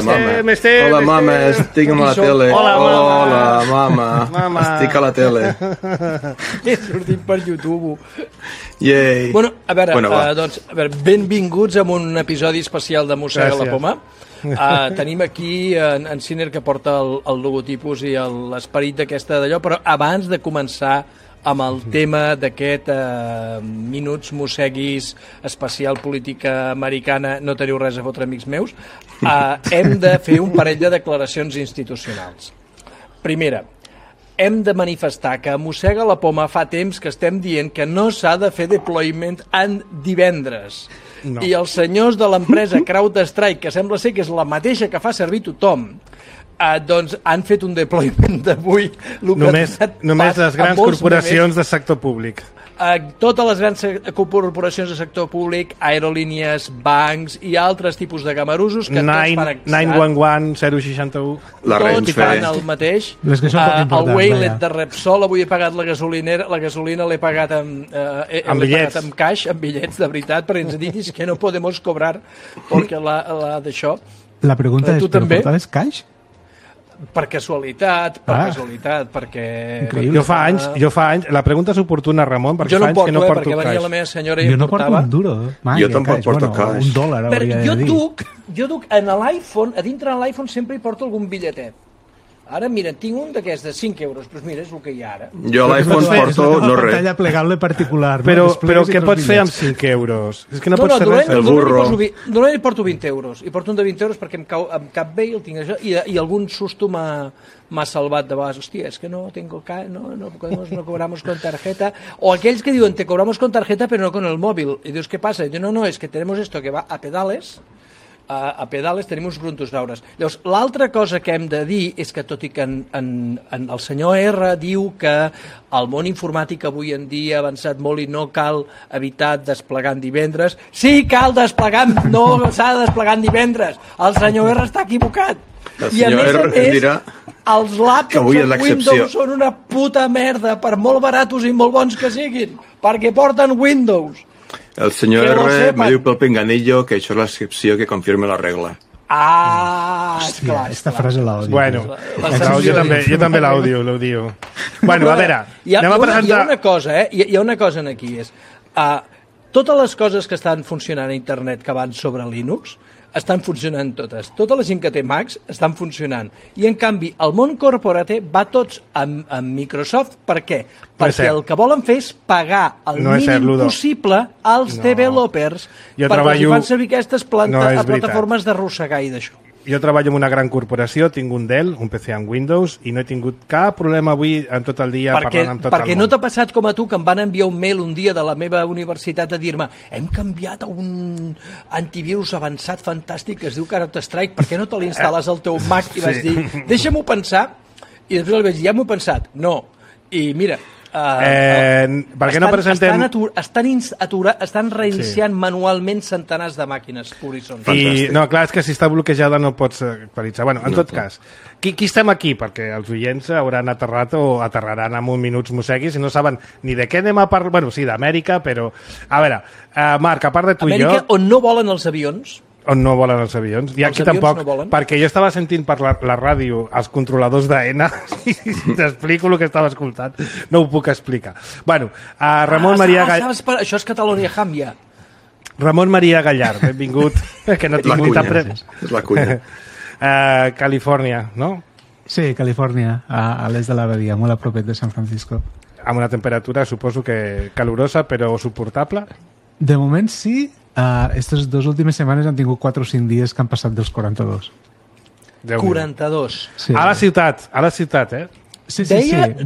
Hola, mama, estic a la tele. Hola, mama. Estic a la tele. He sortit per YouTube. Yay. Bueno, a veure, benvinguts a un episodi especial de Mossega la Poma. Tenim aquí en Sinner, que porta el logotipus i l'esperit d'aquesta d'allò, però abans de començar amb el tema d'aquest Minuts Mosseguis especial política americana, no teniu res a fotre, amics meus, hem de fer un parell de declaracions institucionals. Primera, hem de manifestar que a Mossega la Poma fa temps que estem dient que no s'ha de fer deployment en divendres. No. I els senyors de l'empresa CrowdStrike, que sembla ser que és la mateixa que fa servir tothom, doncs han fet un deployment d'avui. Només les grans corporacions del sector públic. Totes les grans corporacions del sector públic, aerolínies, bancs i altres tipus de gamarusos que tots fan 911, 061, tots fan el mateix. El Waylet de Repsol, avui he pagat la gasolina l'he pagat amb cash, amb bitllets de veritat, perquè ens diguis que no podemos cobrar perquè d'això. La pregunta és, però portaves cash? Per casualitat, perquè... Jo fa anys, la pregunta és oportuna, Ramon, perquè fa anys que no porto perquè venia la meva senyora i jo no porto un duro. Jo tampoc porto cash. $1 hauria de dir. Jo duc en l'iPhone, a dintre de l'iPhone sempre hi porto algun bitlletet. Ara, mira, tinc un d'aquests de 5 euros, però mira, és el que hi ha ara. Jo a l'iPhone porto no res. Pantalla plegable particular. Però què pots fer amb 5 euros? És que no pots fer res. El burro. Normalment porto 20 euros. I porto un de 20 euros perquè em cap bé i el tinc això. I algun susto m'ha salvat de vegades. Hòstia, és que no tengo no cobramos con tarjeta. O aquells que diuen, te cobramos con tarjeta però no con el móvil. I dius, què passa? I diu, no, és que tenemos esto que va a pedales. A pedales tenim uns brontosaures. Llavors, l'altra cosa que hem de dir és que, tot i que el senyor R diu que el món informàtic avui en dia ha avançat molt i no cal evitar desplegar en divendres, sí, cal desplegar, no s'ha de desplegar en divendres. El senyor R està equivocat. El senyor R dirà els laptops en Windows són una puta merda, per molt baratos i molt bons que siguin, perquè porten Windows. El senyor R me diu pel pinganillo que això és l'excepció que confirma la regla. Hòstia, esta frase l'audio. Bueno, jo també l'audio. Bueno, a veure, anem a presentar... Hi ha una cosa, hi ha una cosa aquí, és... Totes les coses que estan funcionant a internet que van sobre Linux estan funcionant totes. Tota la gent que té Macs estan funcionant. I, en canvi, el món corporate va tots amb Microsoft. Per què? Perquè el que volen fer és pagar el mínim possible als developers perquè els fan servir aquestes plataformes d'arrossegar i d'això. Jo treballo en una gran corporació, tinc un Dell, un PC amb Windows, i no he tingut cap problema avui en tot el dia parlant amb tot el món. Perquè no t'ha passat com a tu, que em van enviar un mail un dia de la meva universitat a dir-me hem canviat a un antivirus avançat fantàstic que es diu CrowdStrike, per què no te l'instal·les al teu Mac? I vaig dir, deixa'm-ho pensar, i després el vaig dir, ja m'ho he pensat. No. I mira... per què no presentem... Estan reiniciant manualment centenars de màquines, no, clar, és que si està bloquejada no pots actualitzar. Bueno, en tot cas, qui estem aquí? Perquè els oients hauran aterrat o aterraran amb un Minuts Mosseguis i no saben ni de què anem a parlar. Bueno, sí, d'Amèrica, però... A veure, Marc, a part de tu i jo... Amèrica, on no volen els avions... On no volen els avions. I aquí tampoc, perquè jo estava sentint per la ràdio els controladors d'AENA i t'explico el que estava escoltant. No ho puc explicar. Bueno, Ramon Maria Gallard... Això és Catalonia Hàmbia. Ramon Maria Gallard, benvingut. Que no tinc ni tan És la cuina. Califòrnia, no? Sí, Califòrnia, a l'est de la Badia, molt a propet de San Francisco. Amb una temperatura, suposo que calorosa, però suportable? De moment sí. Aquestes 2 últimes setmanes han tingut 4 o 5 dies que han passat dels 42. 42. Sí. A la ciutat, eh? Sí.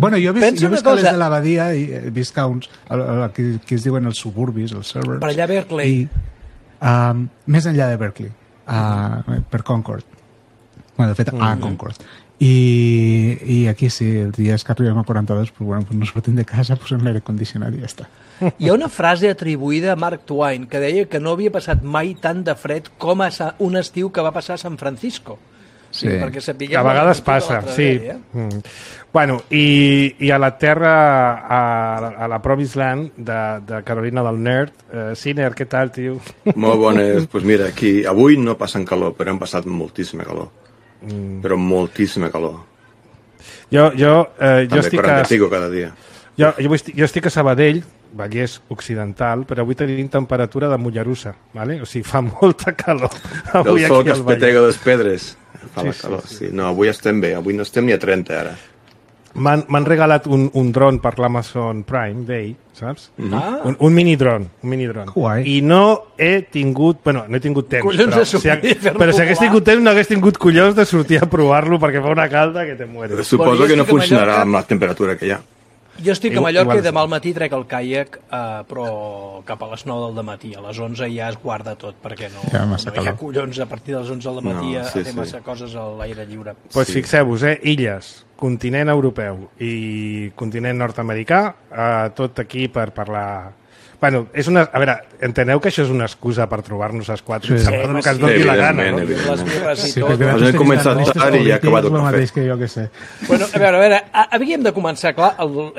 Bueno, jo he vist a l'est de la Badia i he vist que uns, que es diuen els suburbis, els suburbs. Per allà a Berkeley. Més enllà de Berkeley, per Concord. Bueno, de fet, a Concord. I aquí sí, els dies que arribem a 42, pues, bueno, pues no sortim de casa, posem l'aire condicionat i ja està. Hi ha una frase atribuïda a Mark Twain que deia que no havia passat mai tant de fred com un estiu que va passar a San Francisco. Sí. Perquè sapiguem... A vegades passa, sí. Bueno, i a la terra, a la Promised Land de Carolina del Nord, Sinner, què tal, tio? Molt bones. Pues mira, aquí avui no passen calor, però hem passat moltíssima calor. Però moltíssima calor. Jo També estic 40 i pico cada dia. Jo estic a Sabadell, Vallès Occidental, però avui tenim temperatura de Mollerussa, ¿vale? O sigui, fa molta calor. Del sol que es petega les pedres. Fa la calor, sí. No, avui estem bé, avui no estem ni a 30 ara. M'han regalat un dron per l'Amazon Prime Day, saps? Un mini dron. I no he tingut... Bueno, no he tingut temps, però si hagués tingut temps no hagués tingut collons de sortir a provar-lo perquè fa una calda que te mueres. Suposo que no funcionarà amb la temperatura que hi ha. Jo estic a Mallorca i demà al matí trec el caiac, però cap a les 9 del matí. A les 11 ja es guarda tot, perquè no hi ha collons a partir de les 11 del matí a fer massa coses a l'aire lliure. Doncs fixeu-vos, illes, continent europeu i continent nord-americà, tot aquí per parlar... Bueno, és una... A veure, enteneu que això és una excusa per trobar-nos els quatre, que ens doni la gana, no? Les birres i tot. Hem començat tard i ja ha acabat el cafè. Que jo que sé. Bueno, a veure, havíem de començar, clar,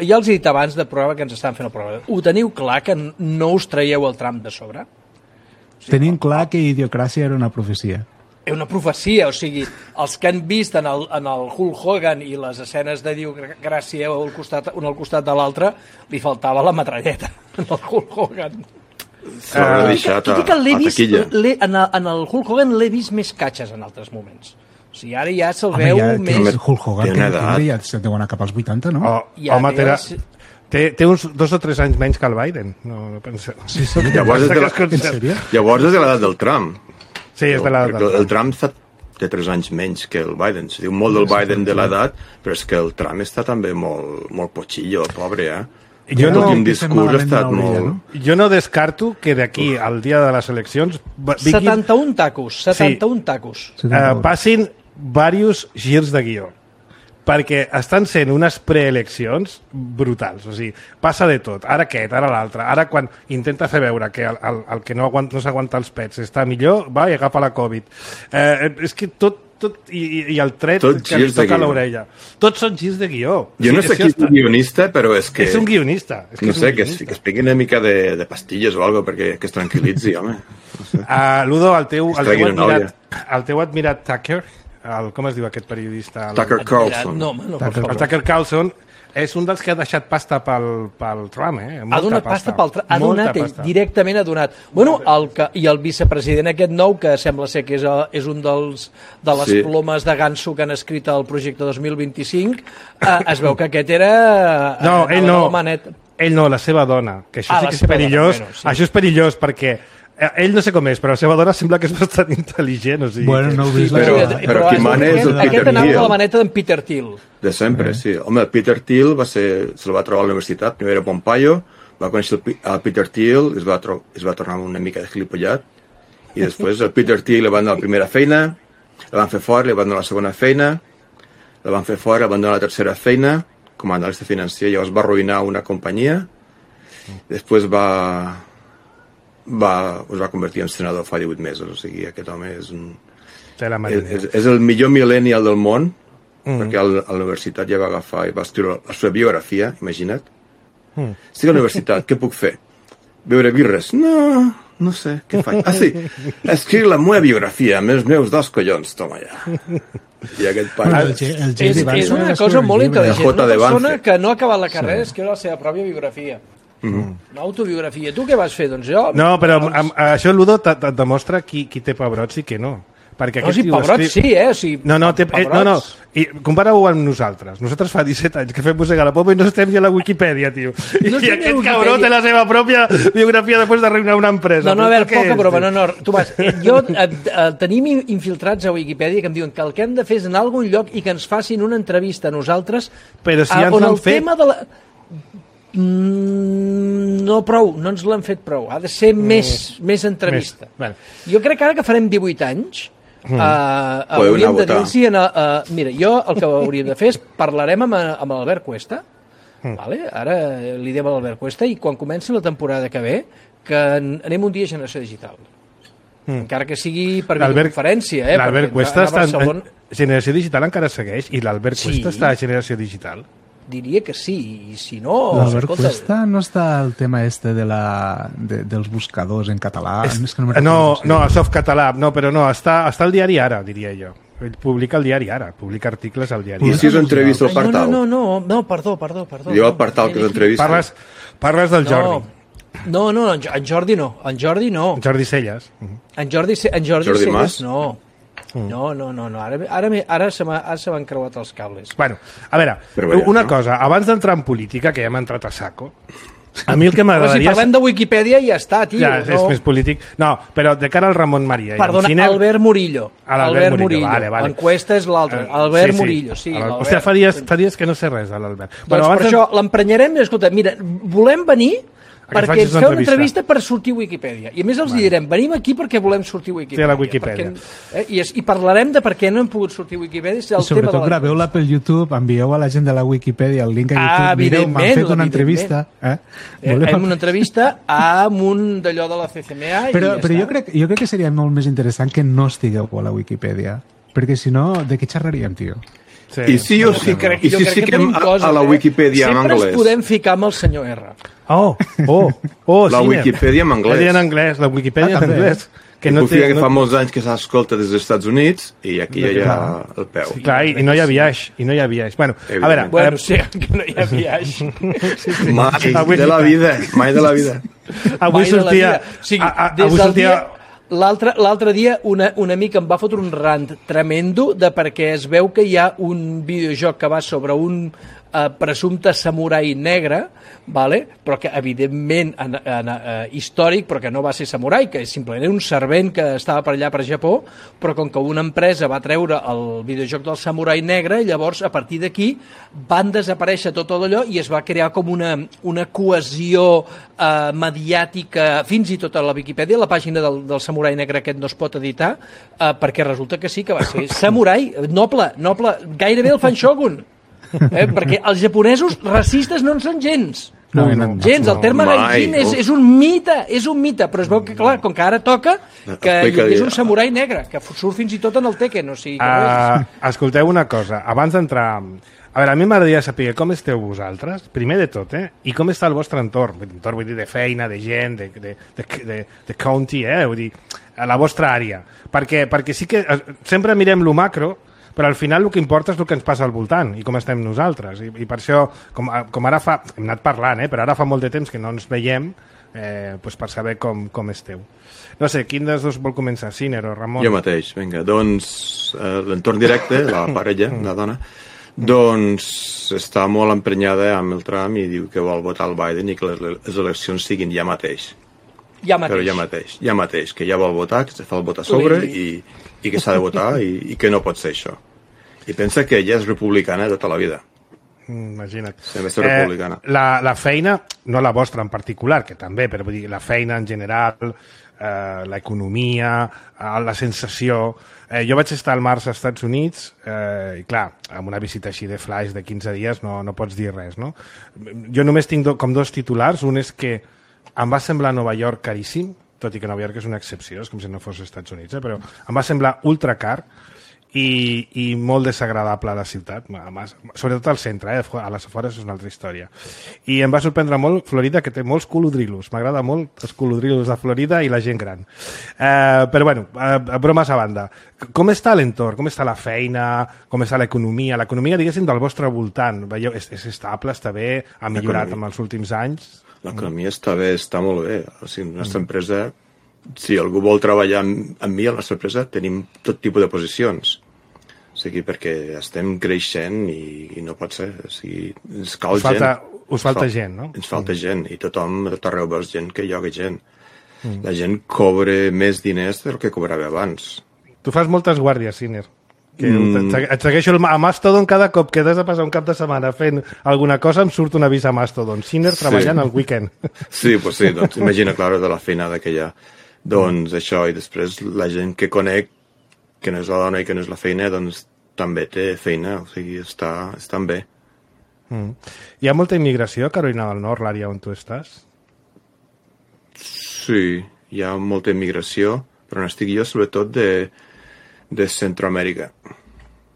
ja els he dit abans de programa que ens estan fent el programa. Ho teniu clar que no us traieu el tram de sobre? Tenim clar que Idiocràcia era una profecia. Una profecia, o sigui, els que han vist en el Hulk Hogan i les escenes de Idiocràcia un al costat de l'altre, li faltava la metralleta en el Hulk Hogan. Tot i que l'he vist, en el Hulk Hogan l'he vist més catxes en altres moments. O sigui, ara ja se'l veu més... Hulk Hogan, que ja se'n deu anar cap als 80, no? Home, té uns 2 o 3 anys menys que el Biden. No penso. Llavors és de l'edat del Trump. Sí, és de l'edat del Trump. El Trump té 3 anys menys que el Biden. Se diu molt del Biden de l'edat, però és que el Trump està també molt potxillo, pobre, L'últim discurs ha estat molt... Jo no descarto que d'aquí al dia de les eleccions... 71 tacos, 71 tacos. Passin diversos girs de guió. Perquè estan sent unes preeleccions brutals, o sigui, passa de tot, ara aquest, ara l'altre, ara quan intenta fer veure que el que no s'aguanta els pets està millor, va i agafa la Covid. És que tot i el tret que li toca a l'orella. Tots són girs de guió. Jo no sé qui és un guionista, però és que... És un guionista. No sé, que es piqui una mica de pastilles o alguna cosa perquè es tranquil·litzi, home. Ludo, el teu admirat Tucker, com es diu aquest periodista? Tucker Carlson. El Tucker Carlson és un dels que ha deixat pasta pel Trump, Ha donat pasta pel Trump, ha donat ell, directament ha donat. Bueno, i el vicepresident aquest nou, que sembla ser que és un de les plomes de ganso que han escrit el projecte 2025, es veu que aquest era... No, ell no, la seva dona, que això sí que és perillós. Això és perillós perquè ell no sé com és, però la seva dona sembla que és bastant intel·ligent. O sigui, bueno, no ho vist. Però qui mana és el Peter Thiel. Aquest anava de la maneta d'en Peter Thiel. De sempre, sí. Home, el Peter Thiel se'l va trobar a la universitat, primer era Pompeo, va conèixer el Peter Thiel, es va tornar una mica de gilipollat, i després el Peter Thiel li van donar la primera feina, la van fer fora, li van donar la segona feina, la van fer fora, li van donar la tercera feina, com a analista financer, llavors va arruïnar una companyia, després es va convertir en senador fa 18 mesos, o sigui, aquest home és el millor millennial del món, perquè a la universitat ja va agafar i va escriure la seva biografia, imagina't. Estic a la universitat, què puc fer? Beure birres? No sé, què faig? Sí, escriure la meva biografia amb els meus 2 collons, toma ja. I aquest pare... És una cosa molt intel·ligent, una persona que no ha acabat la carrera escriure la seva pròpia biografia. Una autobiografia. Tu què vas fer? Doncs jo... No, però això, Ludo, et demostra qui té pebrots i qui no. Perquè no, si pebrots sí, O sigui, no. I compara-ho amb nosaltres. Nosaltres fa 17 anys que fem música a la popa i no estem ni a la Wikipedia, tio. I aquest cabró té la seva pròpia biografia després d'arruïnar una empresa. No, a veure, poca broma. No, Tomàs, tenim infiltrats a Wikipedia que em diuen que el que hem de fer és anar a algun lloc i que ens facin una entrevista a nosaltres però si on el tema de la... No prou, no ens l'han fet prou. Ha de ser més entrevista. Jo crec que ara que farem 18 anys hauríem de dir-los... Mira, jo el que hauríem de fer és parlarem amb l'Albert Cuesta, vale? Ara li diem a l'Albert Cuesta i quan comenci la temporada que ve que anem un dia a Generació Digital. encara que sigui per videoconferència. L'Albert Cuesta està en Generació Digital, encara segueix, i l'Albert Cuesta està a Generació Digital. Diria que sí, i si no... L'Albert Cuesta no està el tema dels buscadors en català? No, a Softcatalà, no, però no, està al diari Ara, diria jo. Ell publica el diari Ara, publica articles al diari Ara. I si us entrevista al Partal? No, perdó. Jo al Partal que us entrevista. Parles del Jordi. No, en Jordi no. En Jordi Celles. En Jordi Celles no. No. Ara se m'han creuat els cables. Bueno, a veure, una cosa, abans d'entrar en política, que ja hem entrat a saco, a mi el que m'agradaria... Però si parlem de Wikipedia ja està, tio. Ja, és més polític. No, però de cara al Ramon Maria... Perdona, Albert Murillo. Albert Murillo. Vale. L'enquesta és l'altre. Albert Murillo, sí. Hòstia, fa dies que no sé res de l'Albert. Doncs per això l'emprenyarem i, escolta, mira, volem venir... perquè ens feu una entrevista per sortir a Wikipedia. I a més els direm, venim aquí perquè volem sortir a Wikipedia. Sí, a la Wikipedia. I parlarem de per què no hem pogut sortir a Wikipedia. I sobretot graveu-la pel YouTube, envieu a la gent de la Wikipedia el link a YouTube. Mireu, m'han fet una entrevista. Fem una entrevista amb un d'allò de la CCMA però jo crec que seria molt més interessant que no estigueu a la Wikipedia. Perquè si no, de què xerraríem, tio? Sí. I si fiquem a la Wikipedia en anglès? Sempre ens podem ficar amb el senyor R. La Wikipedia en anglès. La Wikipedia en anglès. Que fa molts anys que s'escolta des dels Estats Units i aquí hi ha el peu. Sí, clar, i no hi ha biaix. Bueno, a veure... sí, que no hi ha biaix. Mai de la vida. Avui sortia... L'altre dia un amic em va fotre un rant tremendo de perquè es veu que hi ha un videojoc que va sobre un presumpte samurai negre, vale? Però que evidentment històric, però que no va ser samurai, que simplement era un servent que estava per allà per Japó, però com que una empresa va treure el videojoc del samurai negre, llavors a partir d'aquí van desaparèixer tot allò i es va crear com una cohesió mediàtica, fins i tot a la Viquipèdia, la pàgina del samurai negre aquest no es pot editar, perquè resulta que sí que va ser samurai, noble, gairebé el fan shogun. Perquè els japonesos racistes no en són gens. Gens, el terme gaijin és un mite, però es veu que, clar, com que ara toca, que hi és un samurai negre, que surt fins i tot en el Tekken, o sigui... Escolteu una cosa, abans d'entrar... A veure, a mi m'agradaria saber com esteu vosaltres, primer de tot, i com està el vostre entorn. Entorn, vull dir, de feina, de gent, de county, vull dir, a la vostra àrea. Perquè sí que sempre mirem lo macro, però al final el que importa és el que ens passa al voltant i com estem nosaltres. I per això, com ara hem anat parlant, però ara fa molt de temps que no ens veiem, per saber com esteu. No sé, quin dels dos vol començar, Siner o Ramon? Jo mateix, vinga. Doncs l'entorn directe, la parella, la dona, doncs està molt emprenyada amb el Trump i diu que vol votar el Biden i que les eleccions siguin ja mateix. Però ja mateix, que ja vol votar, que se fa el vot a sobre i que s'ha de votar i que no pot ser això. I pensa que ella és republicana tota la vida. Imagina't. També és republicana. La feina, no la vostra en particular, que també, però vull dir, la feina en general, l'economia, la sensació... Jo vaig estar al març als Estats Units i, clar, amb una visita així de flash de 15 dies no pots dir res, no? Jo només tinc com dos titulars. Un és que em va semblar Nova York caríssim, tot i que Nova York és una excepció, és com si no fos als Estats Units, però em va semblar ultra car i molt desagradable a la ciutat, sobretot al centre, a les afores és una altra història. I em va sorprendre molt Florida, que té molts colodrilos. M'agrada molt els colodrilos de Florida i la gent gran. Però, bueno, bromes a banda. Com està l'entorn? Com està la feina? Com està l'economia? L'economia, diguéssim, del vostre voltant. Veieu, és estable, està bé? Ha millorat en els últims anys? L'economia està bé, està molt bé. O sigui, la nostra empresa, si algú vol treballar amb mi a la nostra empresa, tenim tot tipus de posicions. O sigui, perquè estem creixent i no pot ser. O sigui, ens cal gent. Us falta gent, no? Ens falta gent i tothom, a tot arreu veus gent que lloga gent. La gent cobra més diners del que cobrava abans. Tu fas moltes guàrdies, Siner. Et segueixo a Mastodon cada cop que has de passar un cap de setmana fent alguna cosa, em surt un avís a Mastodon. Siner treballant al weekend. Sí, pues sí, doncs imagina, clar, de la feinada que hi ha. Doncs això, i després la gent que conec, que no és la dona i que no és la feina, doncs també té feina, o sigui, estan bé. Hi ha molta immigració a Carolina del Nord, l'àrea on tu estàs? Sí, hi ha molta immigració, però on estic jo sobretot de Centroamèrica.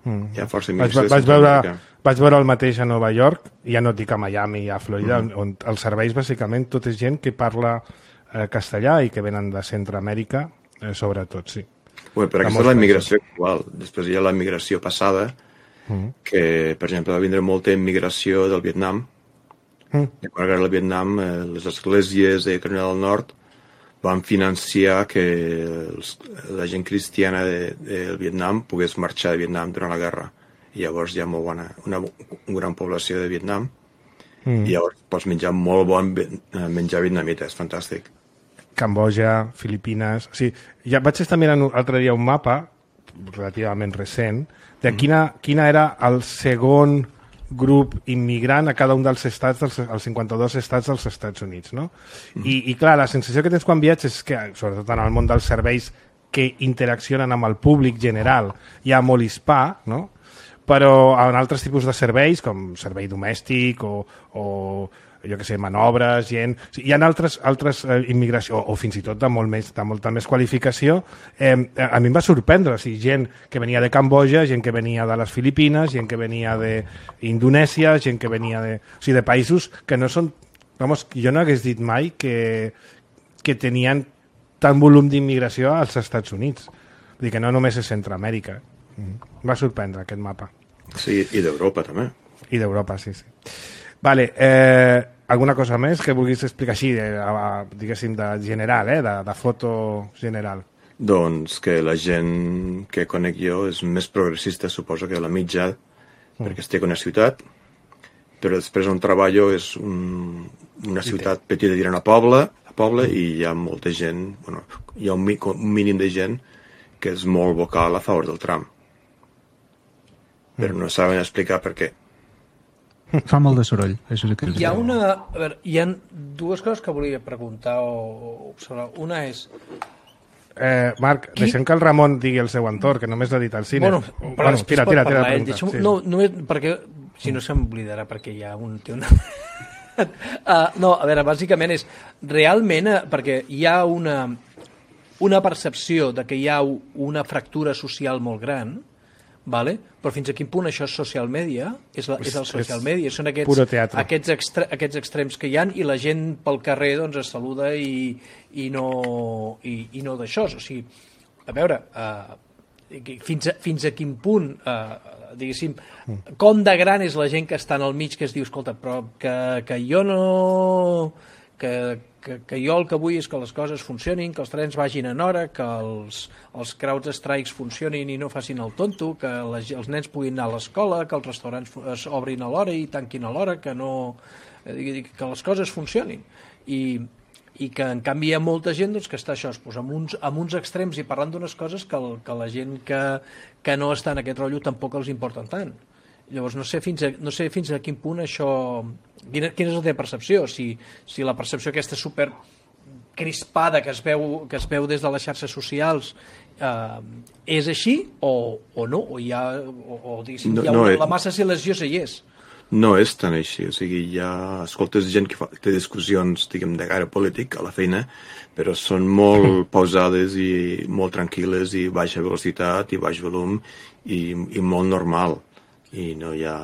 Hi ha força immigració de Centroamèrica. Vaig veure el mateix a Nova York, ja no et dic a Miami i a Florida, on els serveis bàsicament tot és gent que parla castellà i que venen de Centroamèrica, sobretot, sí. Bé, però aquesta és la immigració actual. Després hi ha la immigració passada, que, per exemple, va vindre molta immigració del Vietnam. I quan era el Vietnam, les esglésies de Carolina del Nord van financiar que la gent cristiana del Vietnam pogués marxar de Vietnam durant la guerra. I llavors hi ha una gran població de Vietnam i llavors pots menjar molt bon menjar vietnamita, és fantàstic. Cambodja, Filipines... Sí, ja vaig estar mirant l'altre dia un mapa relativament recent de quina era el segon grup immigrant a cada un dels estats, els 52 estats dels Estats Units, no? I clar, la sensació que tens quan viatges és que, sobretot en el món dels serveis que interaccionen amb el públic general, hi ha molt hispà, no? Però en altres tipus de serveis, com servei domèstic o jo què sé, manobres, gent... Hi ha altres immigració, o fins i tot de molta més qualificació. A mi em va sorprendre, gent que venia de Cambodja, gent que venia de les Filipines, gent que venia d'Indonèsia, gent que venia de països que no són... Vamos, jo no hagués dit mai que tenien tant volum d'immigració als Estats Units. Vull dir que no només és Centroamèrica. Va sorprendre aquest mapa. Sí, i d'Europa també. I d'Europa, sí. Vale, alguna cosa més que vulguis explicar així, diguéssim, de general, de foto general? Doncs que la gent que conec jo és més progressista, suposo, que la mitja, perquè estic en una ciutat, però després on treballo és una ciutat petita, dirà una poble, i hi ha molta gent, hi ha un mínim de gent que és molt vocal a favor del Trump. Però no saben explicar per què. Fa molt de soroll, això sí que hi ha dues coses que volia preguntar o observar. Una és... Marc, deixem que el Ramon digui el seu entorn, que només l'ha dit al cine. Tira la pregunta. No, només perquè, si no se m'oblidarà, perquè hi ha un... No, a veure, bàsicament és... Realment, perquè hi ha una percepció de que hi ha una fractura social molt gran, vale? Però fins a quin punt això és social media, és el social media, són aquests extrems que hi ha i la gent pel carrer doncs es saluda i no d'això. O sigui, a veure, fins a quin punt, diguéssim, com de gran és la gent que està en el mig que es diu, escolta, però que jo no... Que jo el que vull és que les coses funcionin, que els trens vagin en hora, que els crowd strikes funcionin i no facin el tonto, que els nens puguin anar a l'escola, que els restaurants es obrin a l'hora i tanquin a l'hora, que les coses funcionin. I que en canvi hi ha molta gent doncs, que està això, amb uns extrems i parlant d'unes coses que la gent que no està en aquest rotllo tampoc els importen tant. Llavors no sé fins a quin punt això... Quina és la teva percepció? Si la percepció aquesta super crispada que es veu des de les xarxes socials és així o no? La massa silenciosa hi és? No és tan així. O sigui, escoltes gent que té discussions, diguem, de gaire polític a la feina, però són molt pausades i molt tranquil·les i baixa velocitat i baix volum i molt normal. I no hi ha...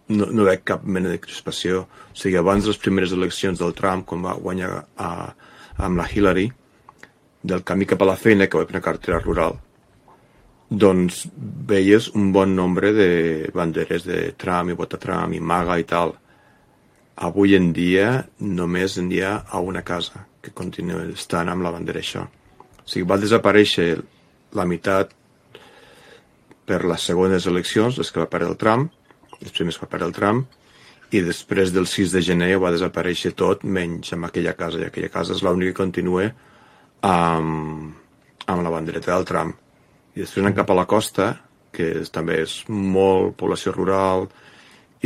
No veig cap mena de crispació. O sigui, abans de les primeres eleccions del Trump, quan va guanyar amb la Hillary, del camí cap a la feina, que va fer una cartera rural, doncs veies un bon nombre de banderes de Trump i vota Trump i MAGA i tal. Avui en dia només n'hi ha a una casa que continua estant amb la bandera això. O sigui, va desaparèixer la meitat per les segones eleccions, les que va perdre el Trump, les primeres que va perdre el Trump, i després del 6 de gener va desaparèixer tot, menys amb aquella casa, i aquella casa és l'única que continua amb la bandereta del Trump. I després anem cap a la costa, que també és molt població rural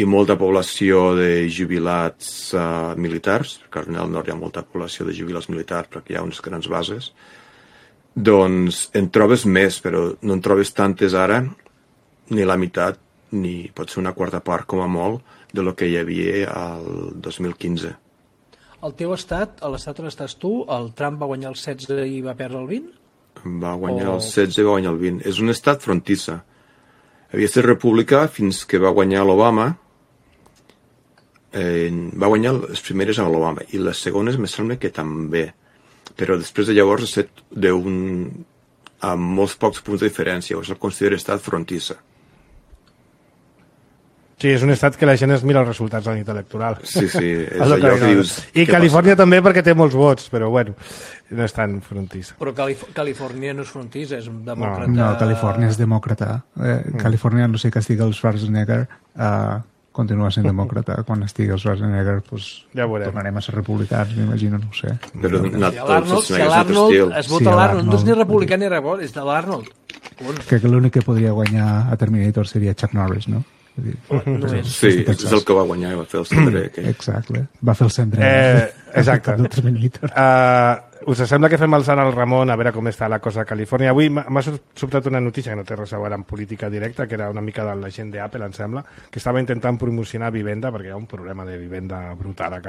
i molta població de jubilats militars, perquè al nord hi ha molta població de jubilats militars perquè hi ha unes grans bases, doncs en trobes més, però no en trobes tantes ara, ni la meitat, ni pot ser una quarta part, com a molt, de lo que hi havia al 2015. Al teu estat, a l'estat on estàs tu, el Trump va guanyar el 16 i va perdre el 20? Va guanyar el 16 i va guanyar el 20. És un estat frontissa. Havia estat republicà fins que va guanyar l'Obama. Va guanyar les primeres a l'Obama i les segones me sembla que també. Però després de llavors ha estat amb molts pocs punts de diferència. O se'l considera estat frontissa. Sí, és un estat que la gent es mira els resultats a la nit electoral. Sí, és allò que dius... I Califòrnia també perquè té molts vots, però bueno, no és tan frontissa. Però Califòrnia no és frontissa, és un demòcrata... No, Califòrnia és demòcrata. Califòrnia, no sé que estigui el Schwarzenegger, continua sent demòcrata. Quan estigui el Schwarzenegger, doncs ja tornarem a ser republicans, m'imagino, no ho sé. Però si l'Arnold es vota l'Arnold, no és ni republicà ni rebot, és de l'Arnold. Crec que l'únic que podria guanyar a Terminator seria Chuck Norris, no? Sí, és el que va guanyar i va fer el cendrer. Exacte, va fer el cendrer. Exacte. Us sembla que fem el sant al Ramon a veure com està la cosa a Califòrnia? Avui m'ha sobtat una notícia que no té res a veure amb política directa, que era una mica de la gent d'Apple, em sembla, que estava intentant promocionar vivenda, perquè hi ha un problema de vivenda brutal a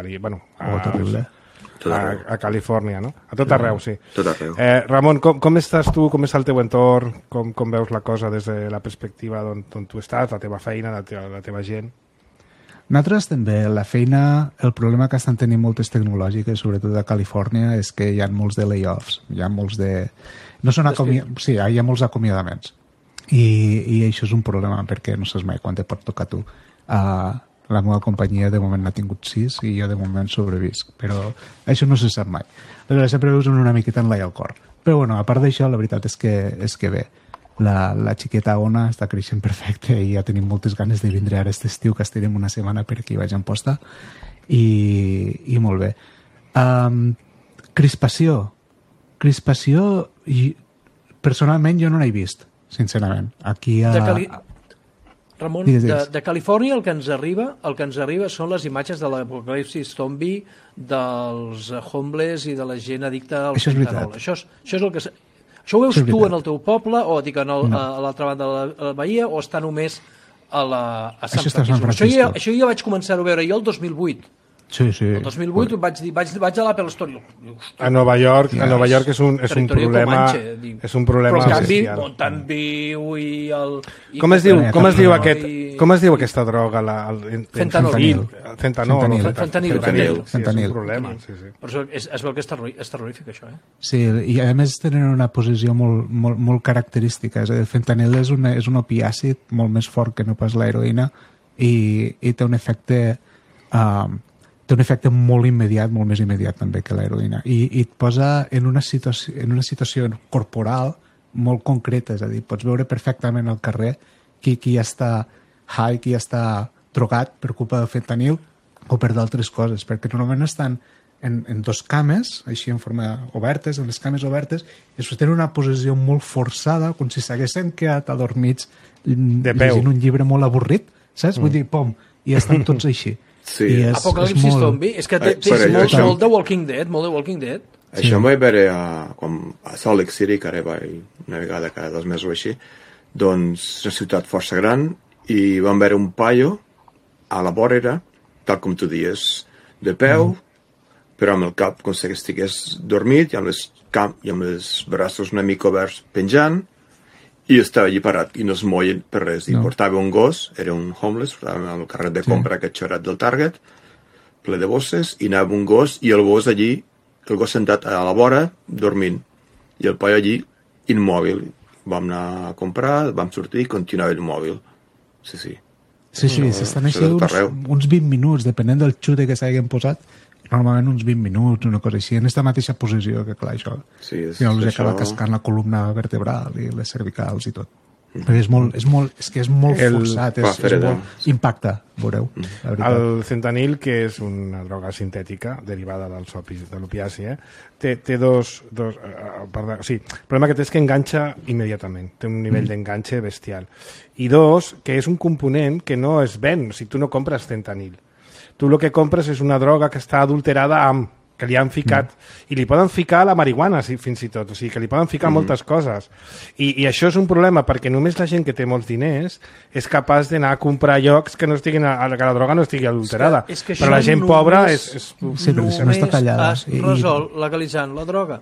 Califòrnia, no? A tot arreu, sí. Tot arreu. Ramon, com estàs tu? Com és el teu entorn? Com veus la cosa des de la perspectiva d'on tu estàs, la teva feina, la teva gent? Nosaltres també, la feina, el problema que estan tenint moltes tecnològiques, sobretot a Califòrnia, és que hi ha molts de layoffs, hi ha molts de... Sí, hi ha molts acomiadaments. I això és un problema, perquè no saps mai quan te pot tocar tu. La meva companyia de moment n'ha tingut 6 i jo de moment sobrevisc, però això no se sap mai. Però sempre veus una miqueta enlaia al cor. Però bueno, a part d'això, la veritat és que bé, la xiqueta Ona està creixent perfecte i ja tenim moltes ganes de vindre ara aquest estiu, que estirem una setmana per aquí vaig a Amposta, i molt bé. Crispació, i personalment jo no l'he vist, sincerament. Aquí Ramon, de Califòrnia el que ens arriba són les imatges de l'apocalipsis zombi, dels homeless i de la gent addicta al fentanol. Això és el que... Això ho veus tu en el teu poble o dic, a l'altra banda de la Bahia o està només a Sant Francisco? Això ja vaig començar a veure jo el 2008. Sí. El 2008 vaig a l'Apple Store. A Nova York és un problema. És un problema. Però en canvi, Mountain View i el... Com es diu aquesta droga? Fentanil. Fentanil. És un problema. Però es veu que és terrorífic, això, eh? Sí, i a més tenen una posició molt característica. És a dir, el fentanil és un opiàcid molt més fort que no pas l'heroïna i té un efecte... té un efecte molt immediat, molt més immediat també que l'heroïna, i et posa en una situació corporal molt concreta, és a dir, pots veure perfectament al carrer qui està high, qui està drogat per culpa del fentanil o per d'altres coses, perquè normalment estan en dos cames, així en forma obertes, en les cames obertes, i es tenen una posició molt forçada, com si s'haguessin quedat adormits llegint un llibre molt avorrit, saps? Vull dir, pom, i estan tots així. Sí. Apocalipsis zombi, és que tens molt de Walking Dead, Això em vaig veure a Salt Lake City, que ara vaig una vegada cada 2 mesos o així, doncs és una ciutat força gran, i vam veure un paio a la vorera, tal com tu dius, de peu, però amb el cap com si estigués dormit, i amb els braços una mica oberts penjant, i estava allí parat i no es moia per res. I portava un gos, era un homeless, portava el carret de compra aquest xorat del Target, ple de bosses, i anava un gos, i el gos allí, el gos sentat a la vora, dormint, i el paio allí, immòbil. Vam anar a comprar, vam sortir i continuava immòbil. Sí. Sí, s'estan així uns 20 minuts, depenent del xute que s'hagin posat, normalment uns 20 minuts, una cosa així, en aquesta mateixa posició, que clar, això... Sí, els acaba cascant la columna vertebral i les cervicals i tot. Perquè és molt forçat, impacta, veureu. El fentanil, que és una droga sintètica derivada de l'opiaci, té dos... Sí, el problema que té és que enganxa immediatament, té un nivell d'enganxe bestial. I dos, que és un component que no es ven, o sigui, tu no compres fentanil. Tu el que compres és una droga que està adulterada que li han ficat, i li poden ficar la marihuana fins i tot, o sigui, que li poden ficar moltes coses. I això és un problema, perquè només la gent que té molts diners és capaç d'anar a comprar llocs que que la droga no estigui adulterada. Però la gent pobra és... Sí, però això no està tallada. Resol legalitzant la droga.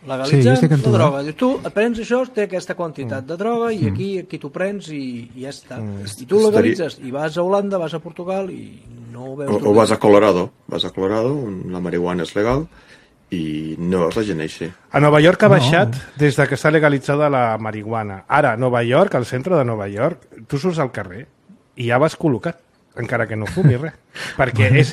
Legalitzem la droga. Dius, tu et prens això, té aquesta quantitat de droga i aquí t'ho prens i ja està. I tu legalitzes i vas a Holanda, vas a Portugal i no ho veus. O vas a Colorado. Vas a Colorado, on la marihuana és legal i no veus la gent així. A Nova York ha baixat des de que està legalitzada la marihuana. Ara, a Nova York, al centre de Nova York, tu surts al carrer i ja vas col·locat, encara que no fumis res. Perquè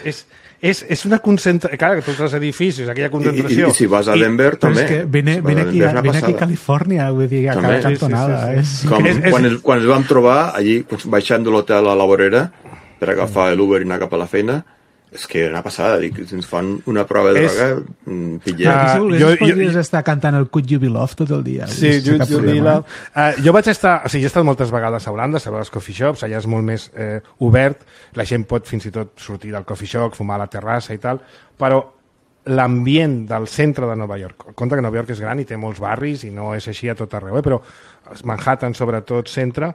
és una concentració... Clar, tots els edificis, aquella concentració... I si vas a Denver, també. Però és que vine aquí a Califòrnia, vull dir, a cada cantonada. Quan ens vam trobar, allí, baixant de l'hotel a la vorera, per agafar l'Uber i anar cap a la feina, és que era una passada, dic, si ens fan una prova de droga, pillem. Podries estar cantant el Could You Be Love tot el dia. Sí, Could You Be Love. Jo vaig estar, o sigui, he estat moltes vegades a Holanda, a les coffee shops, allà és molt més obert, la gent pot fins i tot sortir del coffee shop, fumar a la terrassa i tal, però l'ambient del centre de Nova York, compte que Nova York és gran i té molts barris i no és així a tot arreu, però Manhattan, sobretot, centre,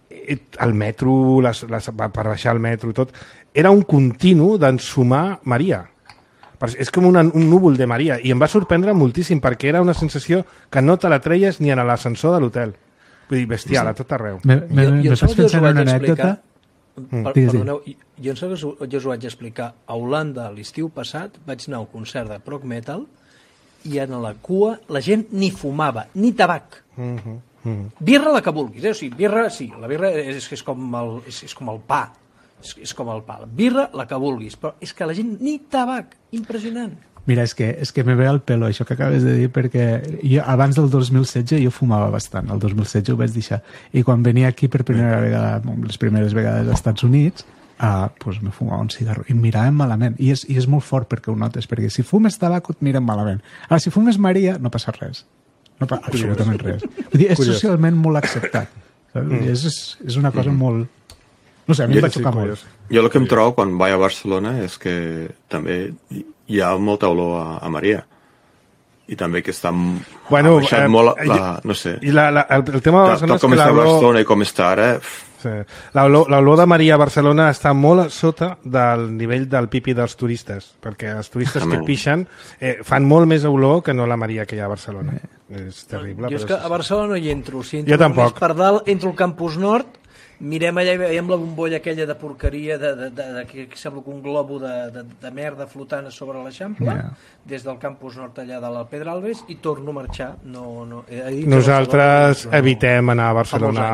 el metro, per baixar el metro i tot, era un continu d'ensumar Maria. És com un núvol de Maria. I em va sorprendre moltíssim, perquè era una sensació que no te la treies ni en l'ascensor de l'hotel. Vull dir, bestial, a tot arreu. Me fas pensar en una anècdota. Perdoneu, jo em sembla que jo us ho vaig explicar. A Holanda, l'estiu passat, vaig anar a un concert de prog metal i en la cua la gent ni fumava, ni tabac. Birra la que vulguis, o sigui, birra, sí, la birra és com el pa. És com el pa. Birra, la que vulguis, però és que la gent ni tabac. Impressionant. Mira, és que me ve al pelo això que acabes de dir, perquè jo, abans del 2016 jo fumava bastant. El 2016 ho vaig deixar. I quan venia aquí per primera vegada, les primeres vegades als Estats Units, pues me fumava un cigarro i em miraven malament. I és molt fort perquè ho notes, perquè si fumes tabac et miren malament. Ara, si fumes Maria, no passa res. No passa absolutament res. Vull dir, és socialment molt acceptat. És una cosa molt... No sé, a mi em va xocar molt. Jo el que em trobo quan vaig a Barcelona és que també hi ha molta olor a Maria. I també que està baixat molt no sé. I el tema de Barcelona és que com està Barcelona i com està ara... Sí. L'olor de Maria a Barcelona està molt sota del nivell del pipi dels turistes, perquè els turistes que pixen fan molt més olor que no la Maria que hi ha a Barcelona. És terrible. Jo és que a Barcelona no hi entro. Si jo tampoc. Per dalt entro al Campus Nord, mirem allà i veiem la bombolla aquella de porqueria que sembla que un globo de merda flotant sobre l'Eixample, des del Campus Nord allà de la Pedralbes, i torno a marxar. Nosaltres evitem anar a Barcelona.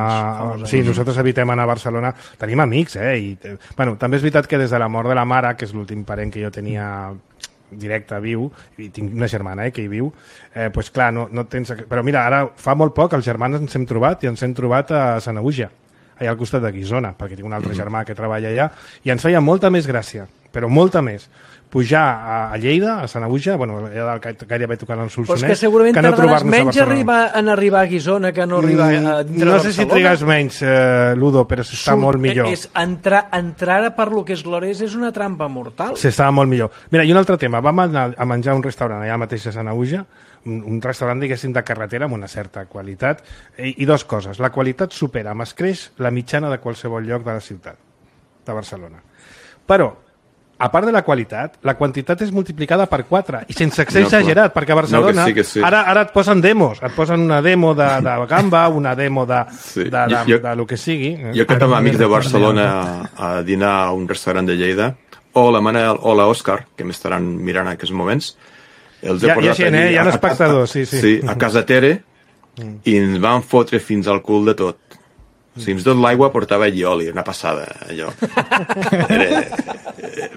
Sí, nosaltres evitem anar a Barcelona. Tenim amics, Bueno, també és veritat que des de la mort de la mare, que és l'últim parent que jo tenia directe, viu, i tinc una germana que hi viu, doncs clar, no tens... Però mira, ara fa molt poc els germans ens hem trobat i ens hem trobat a Sanaüja, allà al costat de Guissona, perquè tinc un altre germà que treballa allà, i ens feia molta més gràcia, però molta més, pujar a Lleida, a Sanaüja, bueno, allà gairebé tocant el Solsonès, que segurament tardaràs menys en arribar a Guissona que no arribar a dintre no sé si trigues menys, Ludo, però s'està molt millor. Entrar per lo que és Glores és una trampa mortal. S'està molt millor. Mira, i un altre tema, vam anar a menjar a un restaurant allà mateix a Sanaüja, un restaurant, diguéssim, de carretera amb una certa qualitat, i dues coses. La qualitat supera amb escreix la mitjana de qualsevol lloc de la ciutat, de Barcelona. Però, a part de la qualitat, la quantitat és multiplicada per 4, i sense ser exagerat, perquè a Barcelona ara et posen demos, et posen una demo de gamba, una demo de lo que sigui. Jo que tinc amics de Barcelona a dinar a un restaurant de Lleida, o la Manel o l'Òscar, que m'estaran mirant en aquests moments, els he portat allí, hi ha espectadors, sí, a casa Tere, i ens van fotre fins al cul de tot. O sigui, fins tot l'aigua portava oli, una passada, allò.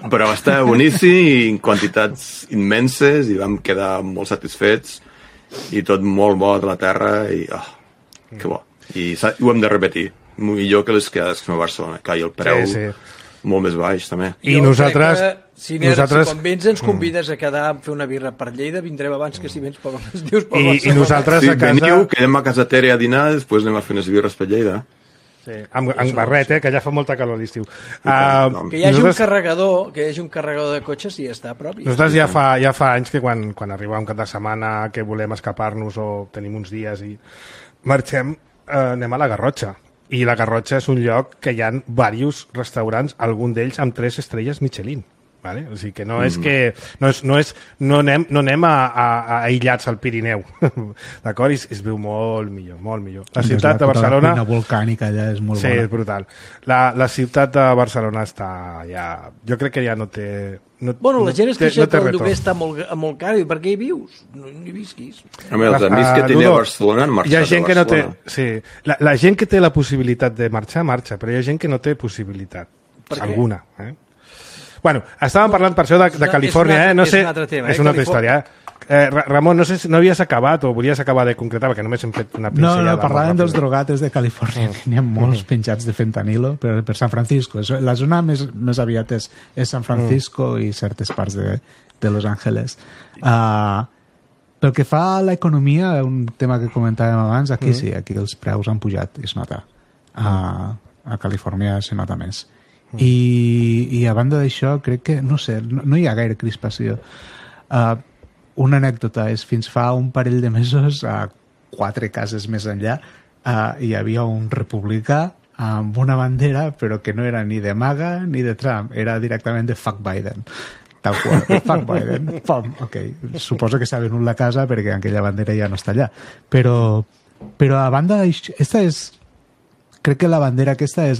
Però va estar boníssim i en quantitats immenses i vam quedar molt satisfets i tot molt bo de la terra i que bo. I ho hem de repetir, millor que les quedades que a Barcelona, que el preu molt més baix també. I nosaltres... Si quan vens ens convides a quedar a fer una birra per Lleida, vindrem abans que si vens per les dius per Barcelona. I nosaltres a casa... Veniu, quedem a casa Tere a dinar, després anem a fer unes birres per Lleida. Sí, amb barret, que ja fa molta calor a l'estiu. Que hi hagi un carregador, de cotxes i ja està a prop. Nosaltres ja fa anys que quan arriba un cap de setmana que volem escapar-nos o tenim uns dies i marxem, anem a la Garrotxa. I la Garrotxa és un lloc que hi ha diversos restaurants, algun d'ells amb 3 estrelles Michelin. Vale? O sigui que no és que no anem a aïllats al Pirineu, d'acord? I es viu molt millor. La ciutat de Barcelona... La volcànica allà és molt bona. Sí, és brutal. La ciutat de Barcelona està ja... Jo crec que ja no té... La gent es queixa que el lloguer està molt car, i per què hi vius? No hi visquis. Els amics que tenia a Barcelona han marxat a Barcelona. Sí, la gent que té la possibilitat de marxar, marxa, però hi ha gent que no té possibilitat. Alguna, Bueno, estàvem parlant per això de Califòrnia, no sé... És una altra història, Ramon, no sé si no havies acabat o volies acabar de concretar, perquè només hem fet una pinzellada. No, parlàvem dels drogates de Califòrnia, que n'hi ha molts penjats de fentanilo per San Francisco. La zona més aviat és San Francisco i certes parts de Los Angeles. Pel que fa a l'economia, un tema que comentàvem abans, aquí sí, aquí els preus han pujat, es nota. A Califòrnia se nota més. I a banda d'això, crec que, no sé, no hi ha gaire crispació. Una anècdota és, fins fa un parell de mesos, a 4 cases més enllà, hi havia un republicà amb una bandera, però que no era ni de MAGA ni de Trump, era directament de Fuck Biden. Tal qual, Fuck Biden. Pom, ok, suposo que s'ha venut la casa perquè aquella bandera ja no està allà. Però a banda d'això, crec que la bandera aquesta és